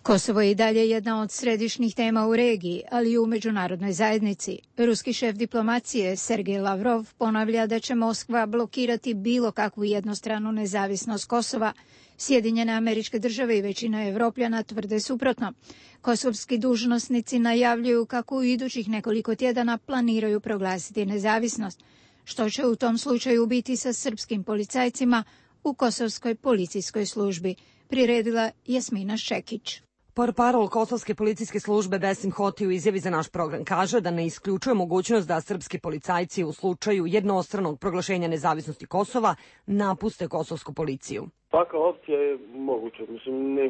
Kosovo je i dalje jedna od središnjih tema u regiji, ali i u međunarodnoj zajednici. Ruski šef diplomacije Sergej Lavrov ponavlja da će Moskva blokirati bilo kakvu jednostranu nezavisnost Kosova. Sjedinjene Američke Države i većina Evropljana tvrde suprotno. Kosovski dužnosnici najavljuju kako u idućih nekoliko tjedana planiraju proglasiti nezavisnost. Što će u tom slučaju biti sa srpskim policajcima u kosovskoj policijskoj službi, priredila Jasmina Šekić. Portparol Kosovske policijske službe Besim Hoti u izjavi za naš program kaže da ne isključuje mogućnost da srpski policajci u slučaju jednostranog proglašenja nezavisnosti Kosova napuste kosovsku policiju. Takva opcija je moguća.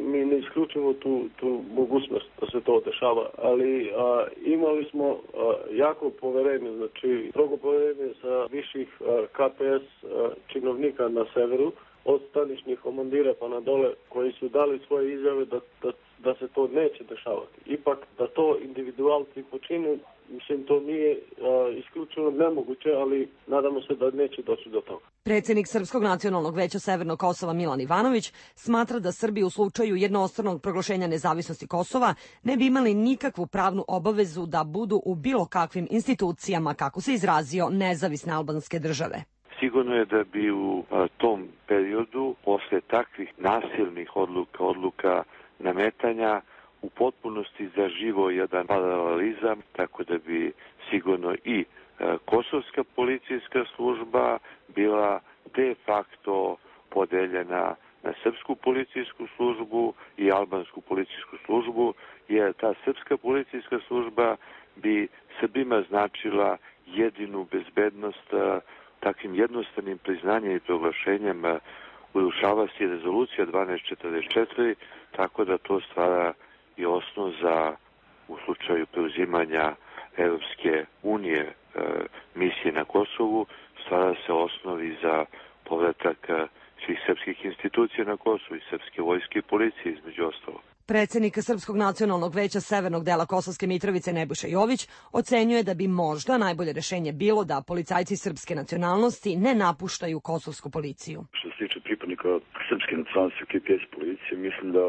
Mi ne isključujemo tu mogućnost da se to dešava, ali imali smo jako poverenje, znači strogo poverenje sa viših KPS činovnika na severu, od staničnih komandira pa na dole, koji su dali svoje izjave da se to neće dešavati. Ipak da to individualci počinu, to nije isključivo nemoguće, ali nadamo se da neće doći do toga. Predsjednik Srpskog nacionalnog veća Severnog Kosova Milan Ivanović smatra da Srbi u slučaju jednostranog proglašenja nezavisnosti Kosova ne bi imali nikakvu pravnu obavezu da budu u bilo kakvim institucijama, kako se izrazio, nezavisne albanske države. Sigurno je da bi u tom periodu, posle takvih nasilnih odluka nametanja, u potpunosti zaživo jedan paralelizam, tako da bi sigurno i kosovska policijska služba bila de facto podeljena na srpsku policijsku službu i albansku policijsku službu, jer ta srpska policijska služba bi Srbima značila jedinu bezbednost. Takvim jednostavnim priznanjem i proglašenjem urušava se rezolucija 1244, tako da to stvara i osnov za, u slučaju preuzimanja Europske unije misije na Kosovu, stvara se osnovi za povratak svih srpskih institucija na Kosovu i srpske vojske i policije između ostalo. Predsednik Srpskog nacionalnog veća severnog dela Kosovske Mitrovice Nebojša Jović ocenjuje da bi možda najbolje rešenje bilo da policajci srpske nacionalnosti ne napuštaju kosovsku policiju. Što se tiče pripadnika srpske nacionalnosti u KPS policiji, mislim da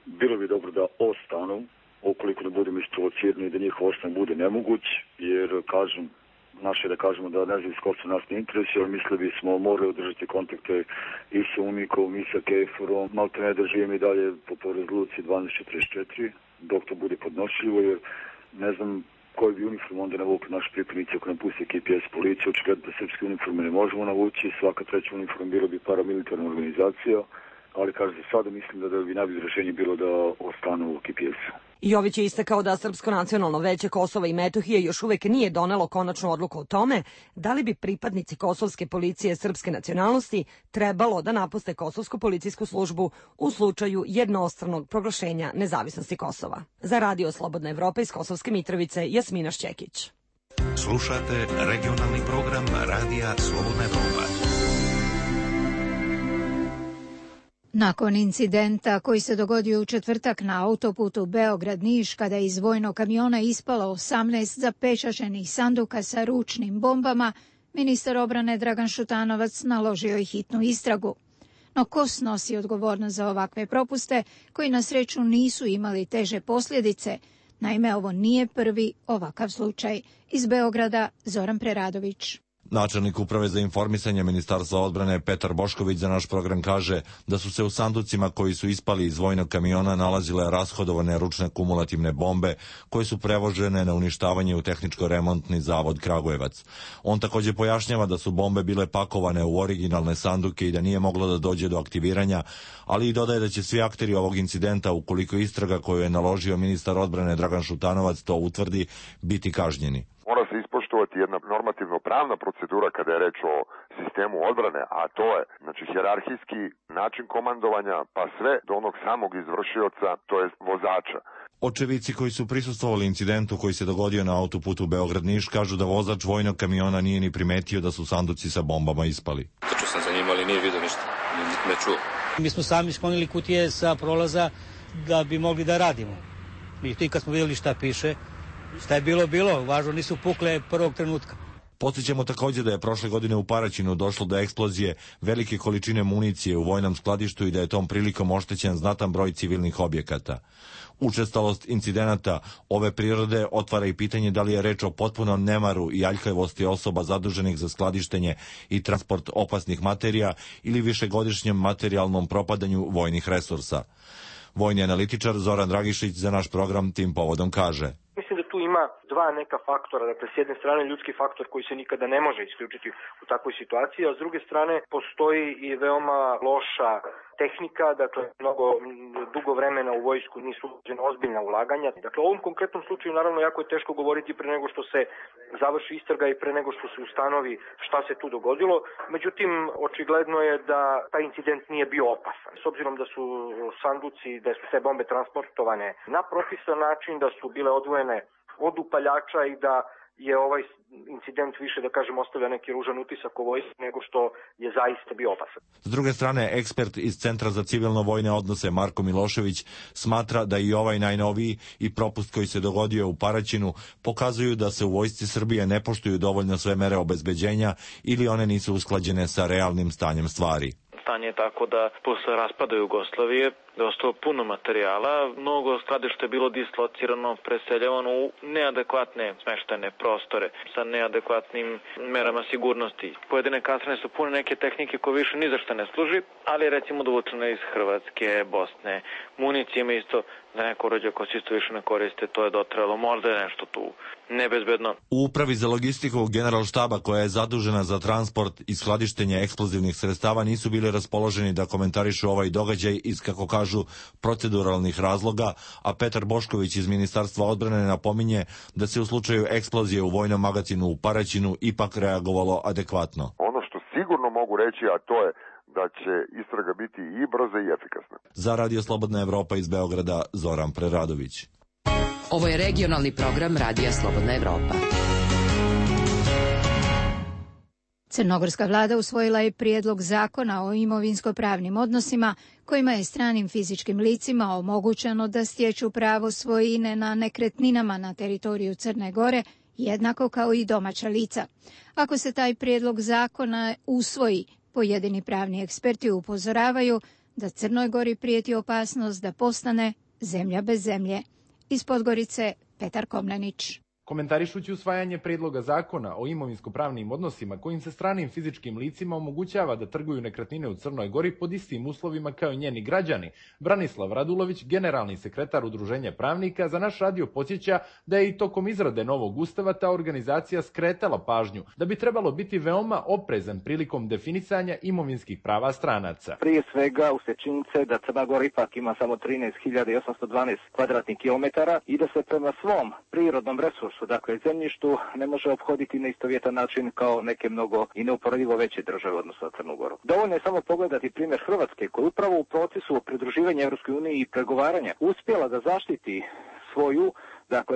bilo bi dobro da ostanu, ukoliko ne budemo isprovocirani da njihov ostan bude nemoguć, jer kažem, naše da kažemo da nezavisno Kosovo nas ne interesuje, ali mislili bismo morali održati kontakte i sa UNIKom i sa KFOR-om. Malte ne da živim i dalje po rezoluciji 1244, dok to bude podnošljivo, jer ne znam koji bi uniform onda navukli naši pripadnici ako nam pusti KPS policiju. Očigledno da srpske uniforme ne možemo navući, svaka treća uniform bilo bi paramilitarna organizacija, ali kaže za sada mislim da bi najbolje rešenje bilo da ostanu u KPS-u. Jović je istakao da Srpsko nacionalno veće Kosova i Metohije još uvek nije donelo konačnu odluku o tome da li bi pripadnici kosovske policije srpske nacionalnosti trebalo da napuste kosovsku policijsku službu u slučaju jednostranog proglašenja nezavisnosti Kosova. Za Radio Slobodna Evropa iz Kosovske Mitrovice, Jasmina Šćekić. Slušate regionalni program Radija Slobodna Evropa. Nakon incidenta koji se dogodio u četvrtak na autoputu Beograd-Niš, kada je iz vojnog kamiona ispalo 18 zapečaćenih sanduka sa ručnim bombama, ministar odbrane Dragan Šutanovac naložio je hitnu istragu. No ko snosi odgovornost za ovakve propuste, koji na sreću nisu imali teže posljedice? Naime, ovo nije prvi ovakav slučaj. Iz Beograda, Zoran Preradović. Načelnik uprave za informisanje Ministarstva odbrane Petar Bošković za naš program kaže da su se u sanducima koji su ispali iz vojnog kamiona nalazile rashodovane ručne kumulativne bombe koje su prevožene na uništavanje u tehničko-remontni zavod Kragujevac. On također pojašnjava da su bombe bile pakovane u originalne sanduke i da nije moglo da dođe do aktiviranja, ali i dodaje da će svi akteri ovog incidenta, ukoliko istraga koju je naložio ministar odbrane Dragan Šutanovac to utvrdi, biti kažnjeni. Mora se ispoštovati jedna normativno-pravna procedura kada je reč o sistemu odbrane, a to je hijerarhijski način komandovanja, pa sve do onog samog izvršioca, to je vozača. Očevici koji su prisustvovali incidentu koji se dogodio na autoputu Beograd-Niš kažu da vozač vojnog kamiona nije ni primetio da su sanduci sa bombama ispali. Trčao sam za njim, ali nije vidio ništa, ne čuo. Mi smo sami sklonili kutije sa prolaza da bi mogli da radimo. I kad smo vidjeli šta piše, šta je bilo, važno nisu pukle prvog trenutka. Podsjećamo također da je prošle godine u Paraćinu došlo do eksplozije velike količine municije u vojnom skladištu i da je tom prilikom oštećen znatan broj civilnih objekata. Učestalost incidenata ove prirode otvara i pitanje da li je reč o potpunom nemaru i aljkavosti osoba zaduženih za skladištenje i transport opasnih materija ili višegodišnjem materijalnom propadanju vojnih resursa. Vojni analitičar Zoran Dragišić za naš program tim povodom kaže: Mislim da tu ima dva neka faktora, dakle s jedne strane ljudski faktor koji se nikada ne može isključiti u takvoj situaciji, a s druge strane postoji i veoma loša tehnika, dakle mnogo dugo vremena u vojsku nisu uložena ozbiljna ulaganja. Dakle, u ovom konkretnom slučaju naravno jako je teško govoriti pre nego što se završi istraga i pre nego što se ustanovi šta se tu dogodilo. Međutim, očigledno je da taj incident nije bio opasan. S obzirom da su sanduci, da su te bombe transportovane na propisan način, da su bile odvojene od upaljača i da je ovaj incident više, da kažem, ostavlja neki ružan utisak o vojsci nego što je zaista bio opasan. S druge strane, ekspert iz Centra za civilno-vojne odnose Marko Milošević smatra da i ovaj najnoviji i propust koji se dogodio u Paraćinu pokazuju da se u vojsci Srbije ne poštuju dovoljno sve mere obezbeđenja ili one nisu usklađene sa realnim stanjem stvari. Stanje je tako da posle raspada Jugoslavije je ostalo puno materijala, mnogo skladišta je bilo dislocirano, preseljavano u neadekvatne smeštene prostore sa neadekvatnim merama sigurnosti. Pojedine kasarne su pune neke tehnike koje više ni za šta ne služi, ali recimo dovučene iz Hrvatske, Bosne. Municije ima isto za neko oruđe koje se isto više ne koriste, to je dotrajalo, možda je nešto tu nebezbedno. U upravi za logistiku Generalštaba koja je zadužena za transport i skladištenje eksplozivnih sredstava nisu bili raspoloženi da komentarišu ovaj događaj iz, kako kažu, proceduralnih razloga, a Petar Bošković iz Ministarstva odbrane napominje da se u slučaju eksplozije u vojnom magacinu u Paraćinu ipak reagovalo adekvatno. Ono što sigurno mogu reći, a to je da će istraga biti i brza i efikasna. Za Radio Slobodna Evropa iz Beograda, Zoran Preradović. Ovo je regionalni program Radija Slobodna Evropa. Crnogorska vlada usvojila je prijedlog zakona o imovinsko-pravnim odnosima kojima je stranim fizičkim licima omogućeno da stječu pravo svojine na nekretninama na teritoriju Crne Gore jednako kao i domaća lica. Ako se taj prijedlog zakona usvoji, pojedini pravni eksperti upozoravaju da Crnoj Gori prijeti opasnost da postane zemlja bez zemlje. Iz Podgorice, Petar Komnenić. Komentarišući usvajanje prijedloga zakona o imovinsko-pravnim odnosima kojim se stranim fizičkim licima omogućava da trguju nekretnine u Crnoj Gori pod istim uslovima kao i njeni građani, Branislav Radulović, generalni sekretar Udruženja pravnika, za naš radio podsjeća da je i tokom izrade novog ustava ta organizacija skretala pažnju da bi trebalo biti veoma oprezan prilikom definisanja imovinskih prava stranaca. Prije svega uslijed činjenice da Crna Gora ipak ima samo 13.812 kvadratnih kilometara i da se prema svom prirodnom resursu, dakle zemljištu, ne može ophoditi na istovjetan način kao neke mnogo i neuporedivo veće države odnosno na Crnu Goru. Dovoljno je samo pogledati primjer Hrvatske, koja upravo u procesu pridruživanja Europskoj uniji i pregovaranja uspjela da zaštiti svoju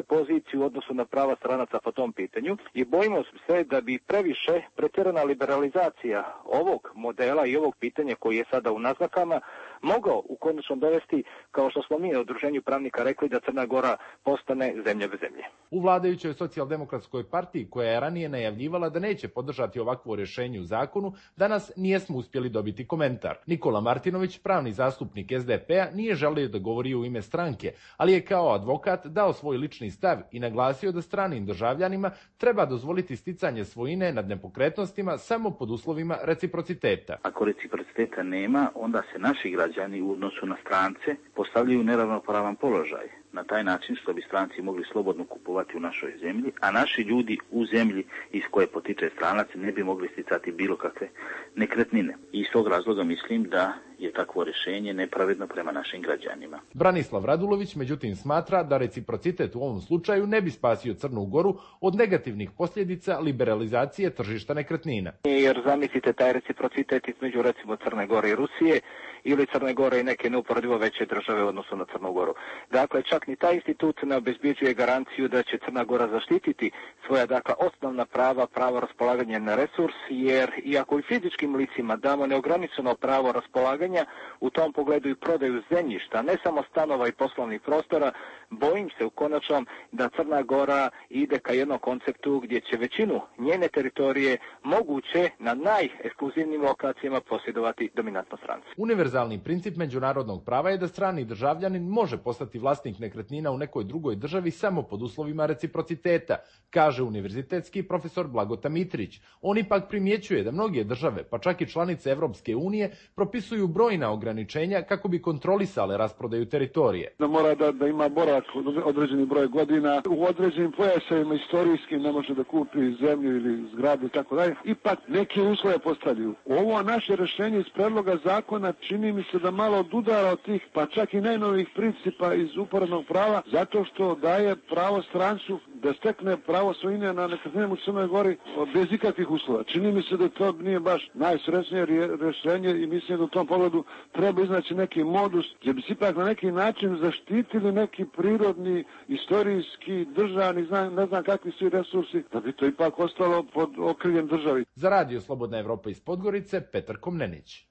poziciju u odnosu na prava stranaca po tom pitanju i bojimo se da bi previše pretjerana liberalizacija ovog modela i ovog pitanja koji je sada u naznakama mogao u konačnom dovesti, kao što smo mi na Udruženju pravnika rekli, da Crna Gora postane zemlja bez zemlje. U vladajućoj socijaldemokratskoj partiji, koja je ranije najavljivala da neće podržati ovakvo rješenje u zakonu, danas nijesmo uspjeli dobiti komentar. Nikola Martinović, pravni zastupnik SDP-a, nije želio da govori u ime stranke, ali je kao advokat dao svoj lični stav i naglasio da stranim državljanima treba dozvoliti sticanje svojine nad nepokretnostima samo pod uslovima reciprociteta. Ako reciprociteta nema, onda se naši građani u odnosu na strance postavljaju u neravnopravan položaj. Na taj način što bi stranci mogli slobodno kupovati u našoj zemlji, a naši ljudi u zemlji iz koje potiče stranac ne bi mogli sticati bilo kakve nekretnine. I iz tog razloga mislim da je takvo rješenje nepravedno prema našim građanima. Branislav Radulović međutim smatra da reciprocitet u ovom slučaju ne bi spasio Crnu Goru od negativnih posljedica liberalizacije tržišta nekretnina. Jer zamislite taj reciprocitet između recimo Crne Gore i Rusije ili Crne Gore i neke neuporedivo veće države u odnosu na Crnu Goru. Dakle, čak ni taj institut ne obezbjeđuje garanciju da će Crna Gora zaštititi svoja osnovna prava, pravo raspolaganja na resurs, jer iako i fizičkim licima damo neograničeno pravo raspolaganja, u tom pogledu i prodaju zemljišta, ne samo stanova i poslovnih prostora, bojim se u konačnom da Crna Gora ide ka jednom konceptu gdje će većinu njene teritorije moguće na najekskluzivnijim lokacijama posjedovati dominantno stranci. Univerzalni princip međunarodnog prava je da strani državljanin može postati vlasnik nekretnina u nekoj drugoj državi samo pod uslovima reciprociteta, kaže univerzitetski profesor Blagota Mitrić. On ipak primjećuje da mnoge države, pa čak i članice Evropske unije, propisuju brojna ograničenja kako bi kontrolisale rasprodaju teritorije. Da mora da ima boravak određeni broj godina, u određenim pojasevima istorijskim ne može da kupi zemlju ili zgradu i tako dalje. Ipak neke uslove postavljaju. Ovo naše rješenje iz predloga zakona čini mi se da malo odudara od tih, pa čak i najnovijih principa iz uporednog prava, zato što daje pravo strancu da stekne pravo svojine na nekretninama u Crnoj Gori bez ikakvih uslova. Čini mi se da to nije baš najsrećnije rješenje i mislim da u tom pogledu treba iznaći neki modus gdje bi se ipak na neki način zaštitili neki prirodni, istorijski, državni, ne znam kakvi svi resursi, da bi to ipak ostalo pod okriljem državi. Za radio Slobodna Evropa iz Podgorice, Petar Komnenić.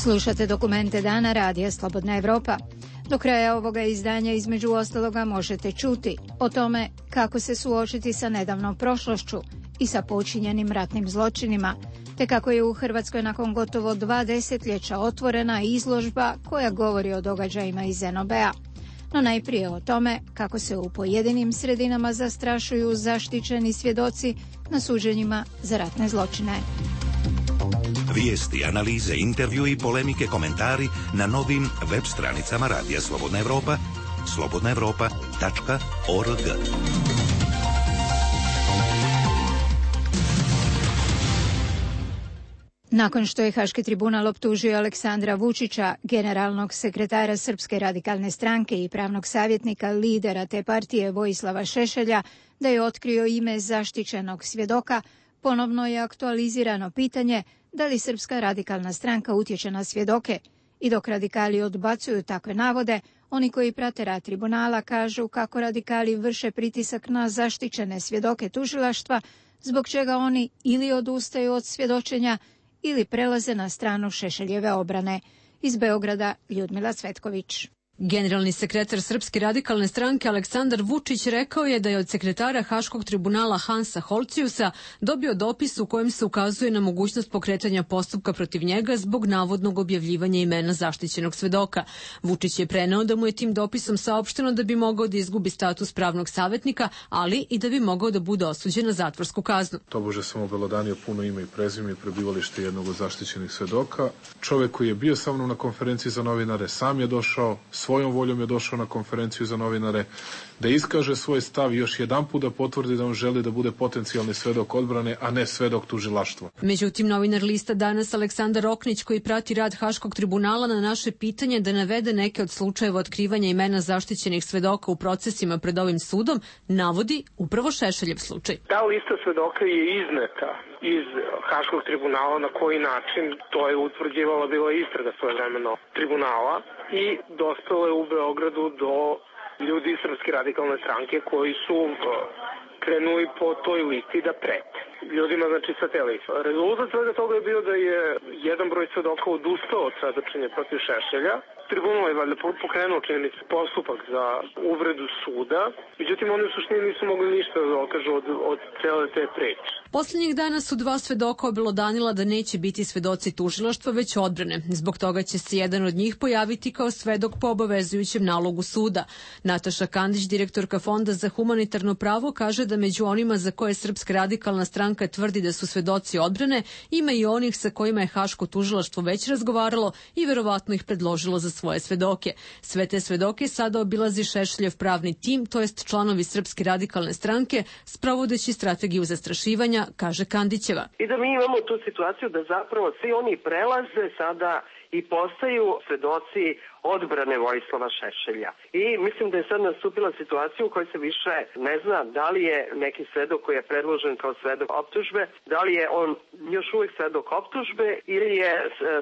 Slušate dokumente dana radija Slobodna Evropa. Do kraja ovoga izdanja između ostaloga možete čuti o tome kako se suočiti sa nedavnom prošlošću i sa počinjenim ratnim zločinima, te kako je u Hrvatskoj nakon gotovo 2 desetljeća otvorena izložba koja govori o događajima iz NOB-a. No najprije o tome kako se u pojedinim sredinama zastrašuju zaštićeni svjedoci na suđenjima za ratne zločine. Vijesti, analize, intervju i polemike, komentari na novim web stranicama Radija Slobodna Evropa, slobodnaevropa.org. Nakon što je Haški tribunal optužio Aleksandra Vučića, generalnog sekretara Srpske radikalne stranke i pravnog savjetnika lidera te partije Vojislava Šešelja, da je otkrio ime zaštićenog svjedoka, ponovno je aktualizirano pitanje da li Srpska radikalna stranka utječe na svjedoke. I dok radikali odbacuju takve navode, oni koji prate rad tribunala kažu kako radikali vrše pritisak na zaštićene svjedoke tužilaštva zbog čega oni ili odustaju od svjedočenja ili prelaze na stranu Šešeljeve obrane. Iz Beograda Ljudmila Cvetković. Generalni sekretar Srpske radikalne stranke Aleksandar Vučić rekao je da je od sekretara Haškog tribunala Hansa Holciusa dobio dopis u kojem se ukazuje na mogućnost pokretanja postupka protiv njega zbog navodnog objavljivanja imena zaštićenog svedoka. Vučić je preneo da mu je tim dopisom saopšteno da bi mogao da izgubi status pravnog savjetnika, ali i da bi mogao da bude osuđen na zatvorsku kaznu. Tobože sam obelodanio puno ime i prezime i prebivalište jednog od zaštićenih svedoka. Čovjek koji je bio sa mnom na konferenciji za novinare sam je došao, svojom voljom je došao na konferenciju za novinare da iskaže svoj stav i još jedanput da potvrdi da on želi da bude potencijalni svedok odbrane, a ne svedok tužilaštva. Međutim, novinar lista Danas Aleksandar Oknić, koji prati rad Haškog tribunala, na naše pitanje da navede neke od slučajeva otkrivanja imena zaštićenih svedoka u procesima pred ovim sudom, navodi upravo Šešeljev slučaj. Ta lista svedoka je izneta iz Haškog tribunala, na koji način to je utvrđivala bila istraga svojevremeno tribunala i dospela je u Beogradu do ljudi iz Srpske radikalne stranke koji su krenuli po toj listi da prete ljudima, znači sa te liste. Rezultat svega toga je bio da je jedan broj svedoka odustao od svedočenja protiv Šešelja. Tribunal je valjda pokrenuo činjenici postupak za uvredu suda, međutim oni u suštini nisu mogli ništa da dokažu od cele te priče. Poslednjih dana su dva svedoka obelodanila da neće biti svedoci tužilaštva, već odbrane. Zbog toga će se jedan od njih pojaviti kao svedok po obavezujućem nalogu suda. Nataša Kandić, direktorka Fonda za humanitarno pravo, kaže da među onima za koje Srpska radikalna stranka tvrdi da su svedoci odbrane, ima i onih sa kojima je Haško tužilaštvo već razgovaralo i verovatno ih predložilo za svoje svedoke. Sve te svedoke sada obilazi Šešeljev pravni tim, to jest članovi Srpske radikalne stranke, sprovodeći strategiju zastrašivanja, kaže Kandićeva. I da mi imamo tu situaciju da zapravo svi oni prelaze sada i postaju svedoci odbrane Vojislava Šešelja. I mislim da je sad nastupila situacija u kojoj se više ne zna da li je neki svedok koji je predložen kao svedok optužbe, da li je on još uvijek svedok optužbe ili je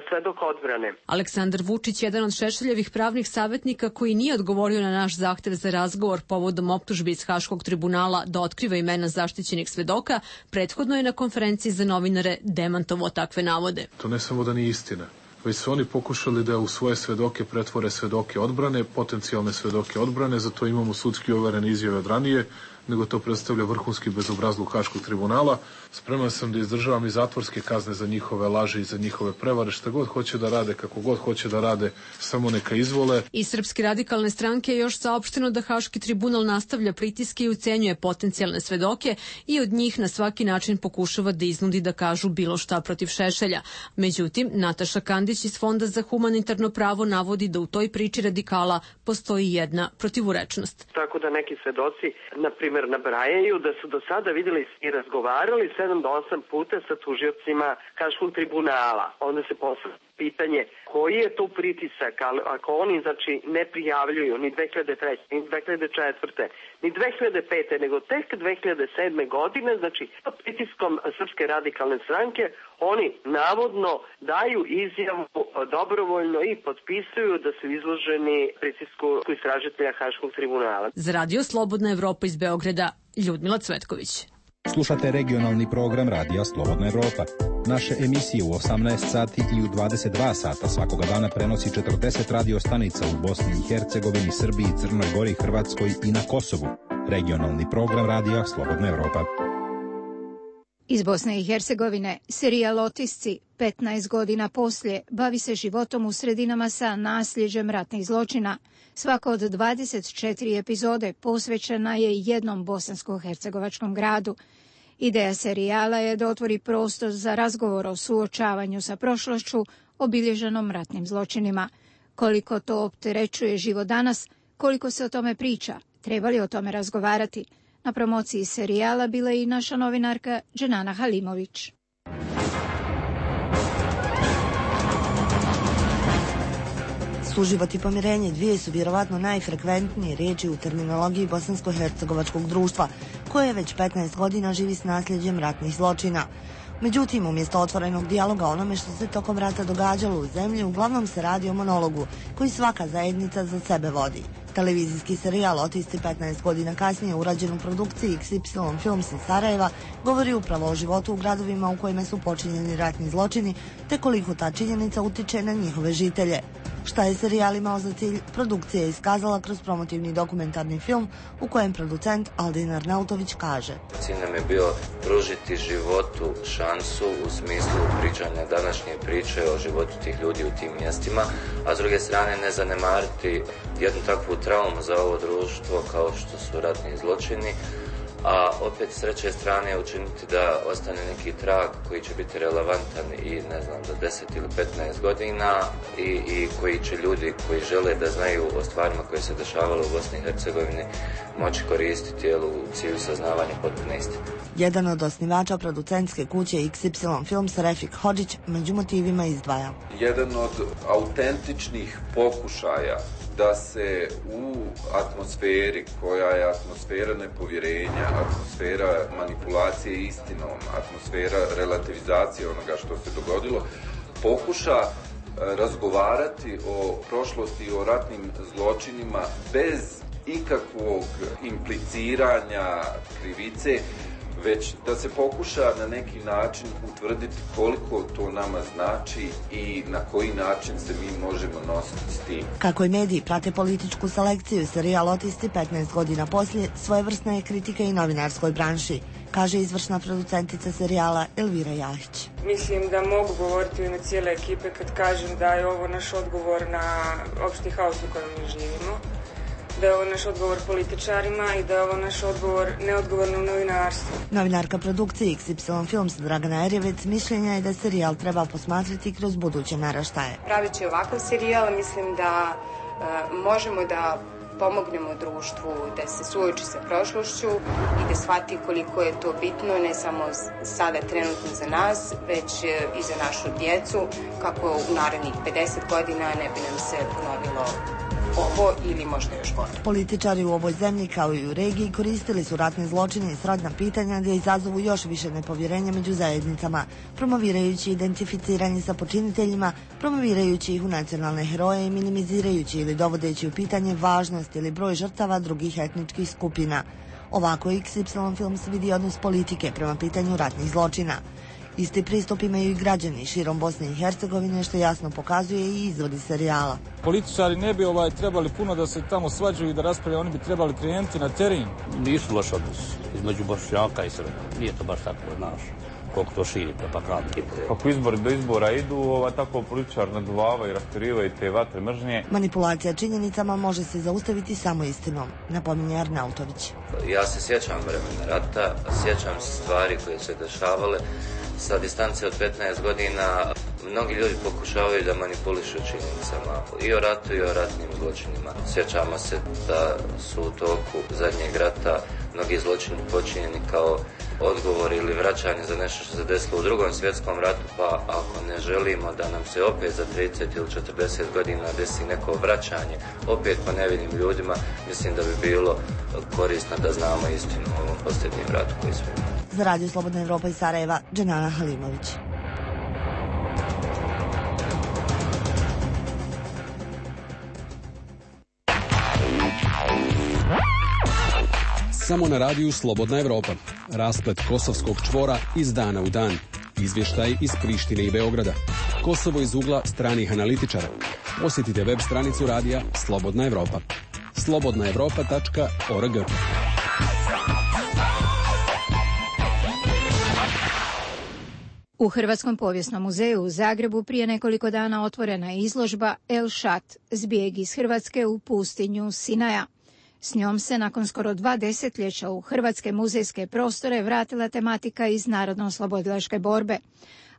svedok odbrane. Aleksandar Vučić, jedan od Šešeljevih pravnih savjetnika koji nije odgovorio na naš zahtev za razgovor povodom optužbe iz Haškog tribunala da otkriva imena zaštićenih svedoka, prethodno je na konferenciji za novinare demantovao takve navode. To ne samo da nije istina, već su oni pokušali da u svoje svedoke pretvore svedoke odbrane, potencijalne svedoke odbrane, zato imamo sudski overene izjave od ranije, nego to predstavlja vrhunski bezobrazluk Haškog tribunala. Spreman sam da izdržavam i zatvorske kazne za njihove laži i za njihove prevare, šta god hoće da rade, kako god hoće da rade, samo neka izvole. Iz Srpske radikalne stranke je još saopšteno da Haški tribunal nastavlja pritiske i ucenjuje potencijalne svedoke i od njih na svaki način pokušava da iznudi da kažu bilo šta protiv Šešelja. Međutim, Nataša Kandić iz Fonda za humanitarno pravo navodi da u toj priči radikala postoji jedna protivurečnost. Tako da neki svedoci, na primjer, nabrajaju da su do sada vidjeli i razgovarali 7 do 8 puta sa tužiocima Haškog tribunala. Onda se postavlja pitanje koji je to pritisak, ako oni znači ne prijavljuju ni 2003, ni 2004, ni 2005, nego tek 2007. godine, znači pod pritiskom Srpske radikalne stranke, oni navodno daju izjavu dobrovoljno i potpisuju da su izloženi pritisku istražitelja Haškog tribunala. Za Radio Slobodna Evropa iz Beograda, Ljudmila Cvetković. Slušate regionalni program Radija Slobodna Evropa. Naše emisije u 18 sati i u 22 sata svakoga dana prenosi 40 radio stanica u Bosni i Hercegovini, Srbiji, Crnoj Gori, Hrvatskoj i na Kosovu. Regionalni program Radija Slobodna Evropa. Iz Bosne i Hercegovine serijal Otisci 15 godina poslije bavi se životom u sredinama sa nasljeđem ratnih zločina. Svaka od 24 epizode posvećena je jednom bosansko-hercegovačkom gradu. Ideja serijala je da otvori prostor za razgovor o suočavanju sa prošlošću obilježenom ratnim zločinima. Koliko to opterećuje život danas, koliko se o tome priča, treba li o tome razgovarati? Na promociji serijala bila je i naša novinarka Dženana Halimović. Suživot i pomirenje dvije su vjerovatno najfrekventnije riječi u terminologiji bosansko-hercegovačkog društva, koje već 15 godina živi s nasljeđem ratnih zločina. Međutim, umjesto otvorenog dijaloga onome što se tokom rata događalo u zemlji, uglavnom se radi o monologu koji svaka zajednica za sebe vodi. Televizijski serijal Otisti 15 godina kasnije urađen u produkciji XY Films iz Sarajeva govori upravo o životu u gradovima u kojima su počinjeni ratni zločini te koliko ta činjenica utiče na njihove žitelje. Šta je serijal imao za cilj, produkcija je iskazala kroz promotivni dokumentarni film u kojem producent Aldin Arnautović kaže: Cilj nam je bio pružiti životu šansu u smislu pričanja današnje priče o životu tih ljudi u tim mjestima, a s druge strane ne zanemariti jednu takvu traumu za ovo društvo kao što su ratni zločini, a opet s treće strane učiniti da ostane neki trag koji će biti relevantan i ne znam za 10 ili 15 godina i koji će ljudi koji žele da znaju o stvarima koje se dešavale u Bosni i Hercegovini moći koristiti u cilju saznavanja potpune istine. Jedan od osnivača producentske kuće XY Films, Refik Hodžić, među motivima izdvaja: jedan od autentičnih pokušaja da se u atmosferi koja je atmosfera nepovjerenja, atmosfera manipulacije istinom, atmosfera relativizacije onoga što se dogodilo, pokuša razgovarati o prošlosti i o ratnim zločinima bez ikakvog impliciranja krivice, već da se pokuša na neki način utvrditi koliko to nama znači i na koji način se mi možemo nositi s tim. Kako i mediji prate političku selekciju, serijal Otisti 15 godina poslije svojevrsna je kritika i novinarskoj branši, kaže izvršna producentica serijala Elvira Jahić. Mislim da mogu govoriti u ime cijele ekipe kad kažem da je ovo naš odgovor na opšti haos u kojem mi živimo, da je ovo naš odgovor političarima i da je ovo naš odgovor neodgovornom novinarstvu. Novinarka produkcije XY Films Dragana Erjevec mišljenja je da serijal treba posmatrati kroz buduće naraštaje. Praveći ovakav serijal mislim da možemo da pomognemo društvu da se suoči sa prošlošću i da shvati koliko je to bitno ne samo sada trenutno za nas, već i za našu djecu, kako u narednih 50 godina ne bi nam se ponovilo ovo ili možda još gore. Političari u ovoj zemlji kao i u regiji koristili su ratne zločine i srodna pitanja da izazovu još više nepovjerenja među zajednicama, promovirajući identificiranje sa počiniteljima, promovirajući ih u nacionalne heroje i minimizirajući ili dovodeći u pitanje važnost ili broj žrtava drugih etničkih skupina. Ovako XY Films vidi odnos politike prema pitanju ratnih zločina. Isti pristup imaju i građani širom Bosne i Hercegovine, što jasno pokazuje i izvodi serijala. Političari ne bi trebali puno da se tamo svađaju i da raspravljaju, oni bi trebali krenuti na teren. Nisu loš odnos između Bošnjaka i Srba. Nije to baš tako, znaš, koliko to širi propaganda. Kako izbori do izbora idu, tako političar naduvava i raspirivaju te vatre mržnje. Manipulacija činjenicama može se zaustaviti samo istinom, napominje Arnautović. Ja se sjećam vremena rata, sjećam se stvari koje se dešavale. Sa distance od 15 godina mnogi ljudi pokušavaju da manipulišu činjenicama i o ratu i o ratnim zločinima. Sjećamo se da su u toku zadnjeg rata mnogi zločini počinjeni kao odgovor ili vraćanje za nešto što se desilo u Drugom svjetskom ratu, pa ako ne želimo da nam se opet za 30 ili 40 godina desi neko vraćanje opet po nevinim ljudima, mislim da bi bilo korisno da znamo istinu o ovom posljednjem ratu koji smo imali. Za Radio Slobodna Evropa iz Sarajeva, Dženana Halimović. Samo na radiju Slobodna Evropa. Rasplet kosovskog čvora iz dana u dan. Izvještaj iz Prištine i Beograda. Kosovo iz ugla stranih analitičara. Posjetite web stranicu radija Slobodna Evropa. slobodnaevropa.org. U Hrvatskom povijesnom muzeju u Zagrebu prije nekoliko dana otvorena je izložba El Shat, zbjeg iz Hrvatske u pustinju Sinaja. S njom se nakon skoro 2 desetljeća u hrvatske muzejske prostore vratila tematika iz narodno-oslobodilačke borbe.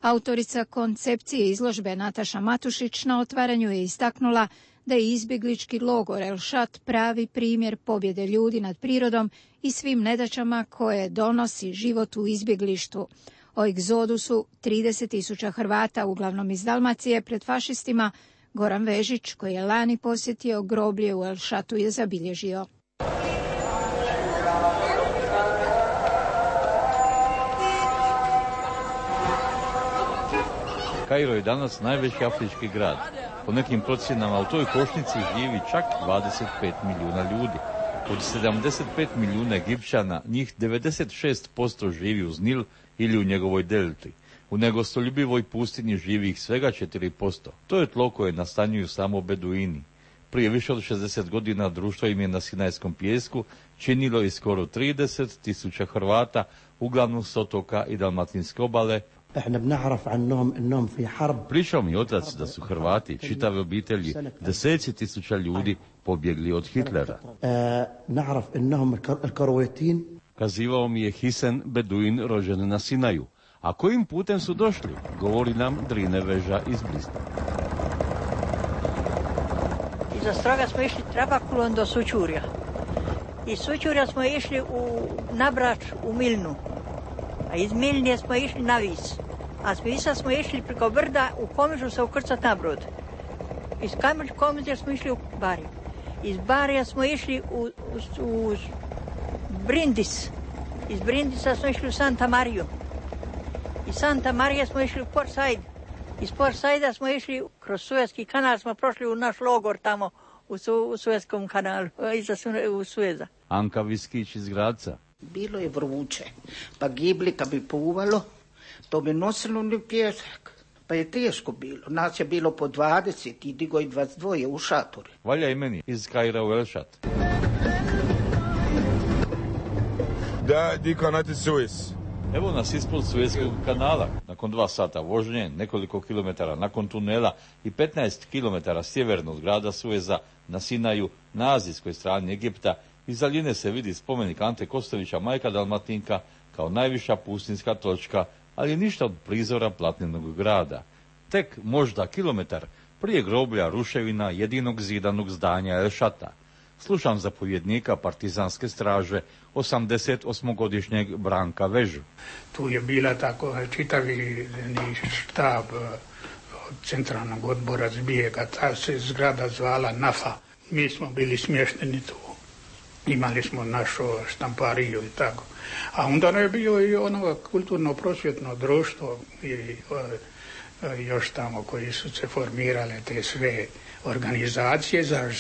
Autorica koncepcije izložbe Nataša Matušić na otvaranju je istaknula da je izbjeglički logor El Shat pravi primjer pobjede ljudi nad prirodom i svim nedaćama koje donosi život u izbjeglištvu. O egzodusu 30.000 Hrvata, uglavnom iz Dalmacije, pred fašistima, Goran Vežić, koji je lani posjetio groblje u El Shatu, je zabilježio. Kairo je danas najveći afrički grad. Po nekim procjenama u toj košnici živi čak 25 milijuna ljudi. Od 75 milijuna Egipćana, njih 96% živi uz Nil ili u njegovoj delti. U negostoljubivoj pustinji živi ih svega 4%. To je tlo koje nastanjuju samo beduini. Prije više od 60 godina društvo im je na Sinajskom pijesku činilo i skoro 30.000 Hrvata, uglavnom s otoka i Dalmatinske obale. Pričao mi otac da su Hrvati, čitave obitelji, deseci tisuća ljudi pobjegli od Hitlera. Kazivao mi je Hisen, beduin rođen na Sinaju. A kojim putem su došli, govori nam Drine Veža iz Blista. Iza Stroga smo išli Trabakulom do Sućurja. Iz Sućurja smo išli na Brač u Milnu. A iz Milnije smo išli na Vis. A s Visa smo išli preko brda u Komižu se ukrcat na brod. Iz Komiža smo išli u Bariju. Iz Barija smo išli u Brindis. Iz Brindisa smo išli u Santa Mariju. Iz Santa Marije smo išli u Port Said. Iz Port Saida smo išli kroz Suezki kanal, smo prošli u naš logor tamo u Suezkom kanalu, iza Sueza. Anka Viskić iz Gradca. Bilo je vruće, pa gibli kad bi puvalo, to bi nosilo ni pjesak. Pa je teško bilo. Nas je bilo po 20 i digo i 22 u šatori. Valja i meni iz Kaira u Elšat. Da, di kanati Suez. Evo nas ispod Suezkog kanala. Nakon 2 sata vožnje, nekoliko kilometara nakon tunela i 15 kilometara sjeverno od grada Sueza na Sinaju, na azijskoj strani Egipta, iz daljine se vidi spomenik Ante Kostovića, majka Dalmatinka, kao najviša pustinska točka, ali ništa od prizora platnenog grada. Tek možda kilometar prije groblja ruševina jedinog zidanog zdanja Elšata. Slušam zapovjednika partizanske straže, 88-godišnjeg Branka Vežu. Tu je bila tako čitavi štab centralnog odbora zbijega, ta se zgrada zvala NAFA. Mi smo bili smješteni tu. Imali smo našu štampariju i tako. A onda je bio i ono kulturno-prosvjetno društvo i još tamo koji su se formirale te sve organizacije za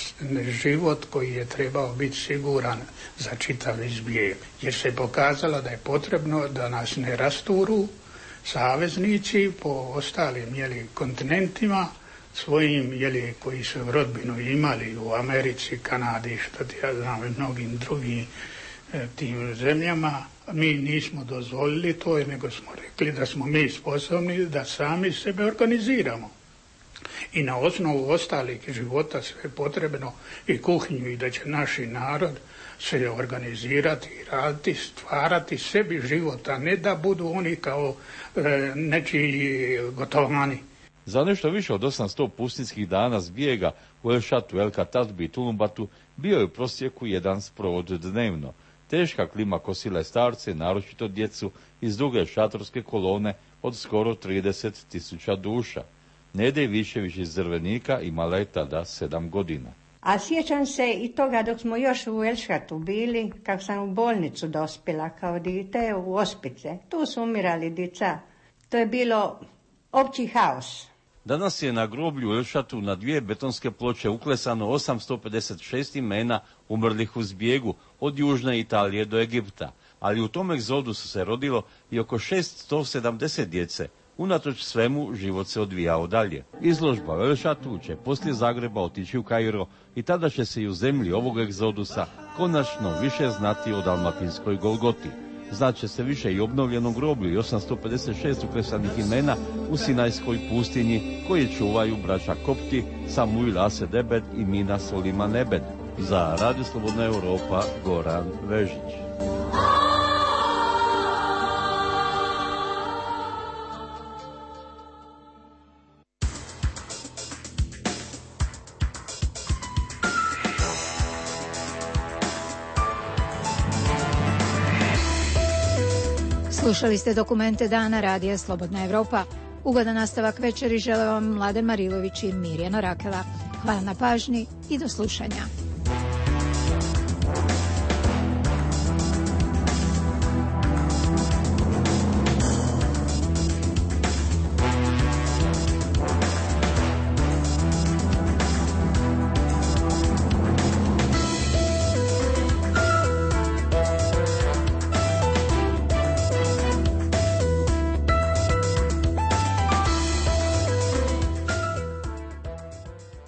život koji je trebao biti siguran za čitav izbjeg. Jer se pokazalo da je potrebno da nas ne rasturu saveznici po ostalim kontinentima svojim koji su rodbinu imali u Americi, Kanadi, što ti ja znam i mnogim drugim tim zemljama. Mi nismo dozvolili to, nego smo rekli da smo mi sposobni da sami sebe organiziramo. I na osnovu ostalih života sve potrebno i kuhinju i da će naši narod se organizirati, raditi, stvarati sebi život, a ne da budu oni kao nečiji gotovani. Za nešto više od 800 pustinskih dana zbijega u Elšatu, El Katatbi i Tulumbatu bio je u prosjeku jedan sprovod dnevno. Teška klima kosila je starce, naročito djecu iz druge šatorske kolone od skoro 30.000 duša. Nede Višević iz Drvenika imala je tada 7 godina. A sjećam se i toga dok smo još u Elšatu bili, kako sam u bolnicu dospjela kao dite u Ospice. Tu su umirali djeca. To je bilo opći haos. Danas je na groblju u Elšatu na 2 betonske ploče uklesano 856 imena umrlih u zbjegu od južne Italije do Egipta, ali u tom egzodusu se rodilo i oko 670 djece. Unatoč svemu, život se odvijao dalje. Izložba u Elšatu će poslije Zagreba otići u Kairo i tada će se i u zemlji ovog egzodusa konačno više znati o dalmatinskoj Golgoti. Znaće se više i obnovljenom groblju i 856 uklesanih imena u Sinajskoj pustinji koje čuvaju braća Kopti, Samuil Ased Ebed i Mina Soliman Ebed. Za Radio Slobodna Europa, Goran Vežić. Slušali ste dokumente dana Radija Slobodna Evropa. Ugodan nastavak večeri žele vam Mladen Marilović i Mirjana Rakela. Hvala na pažnji i do slušanja.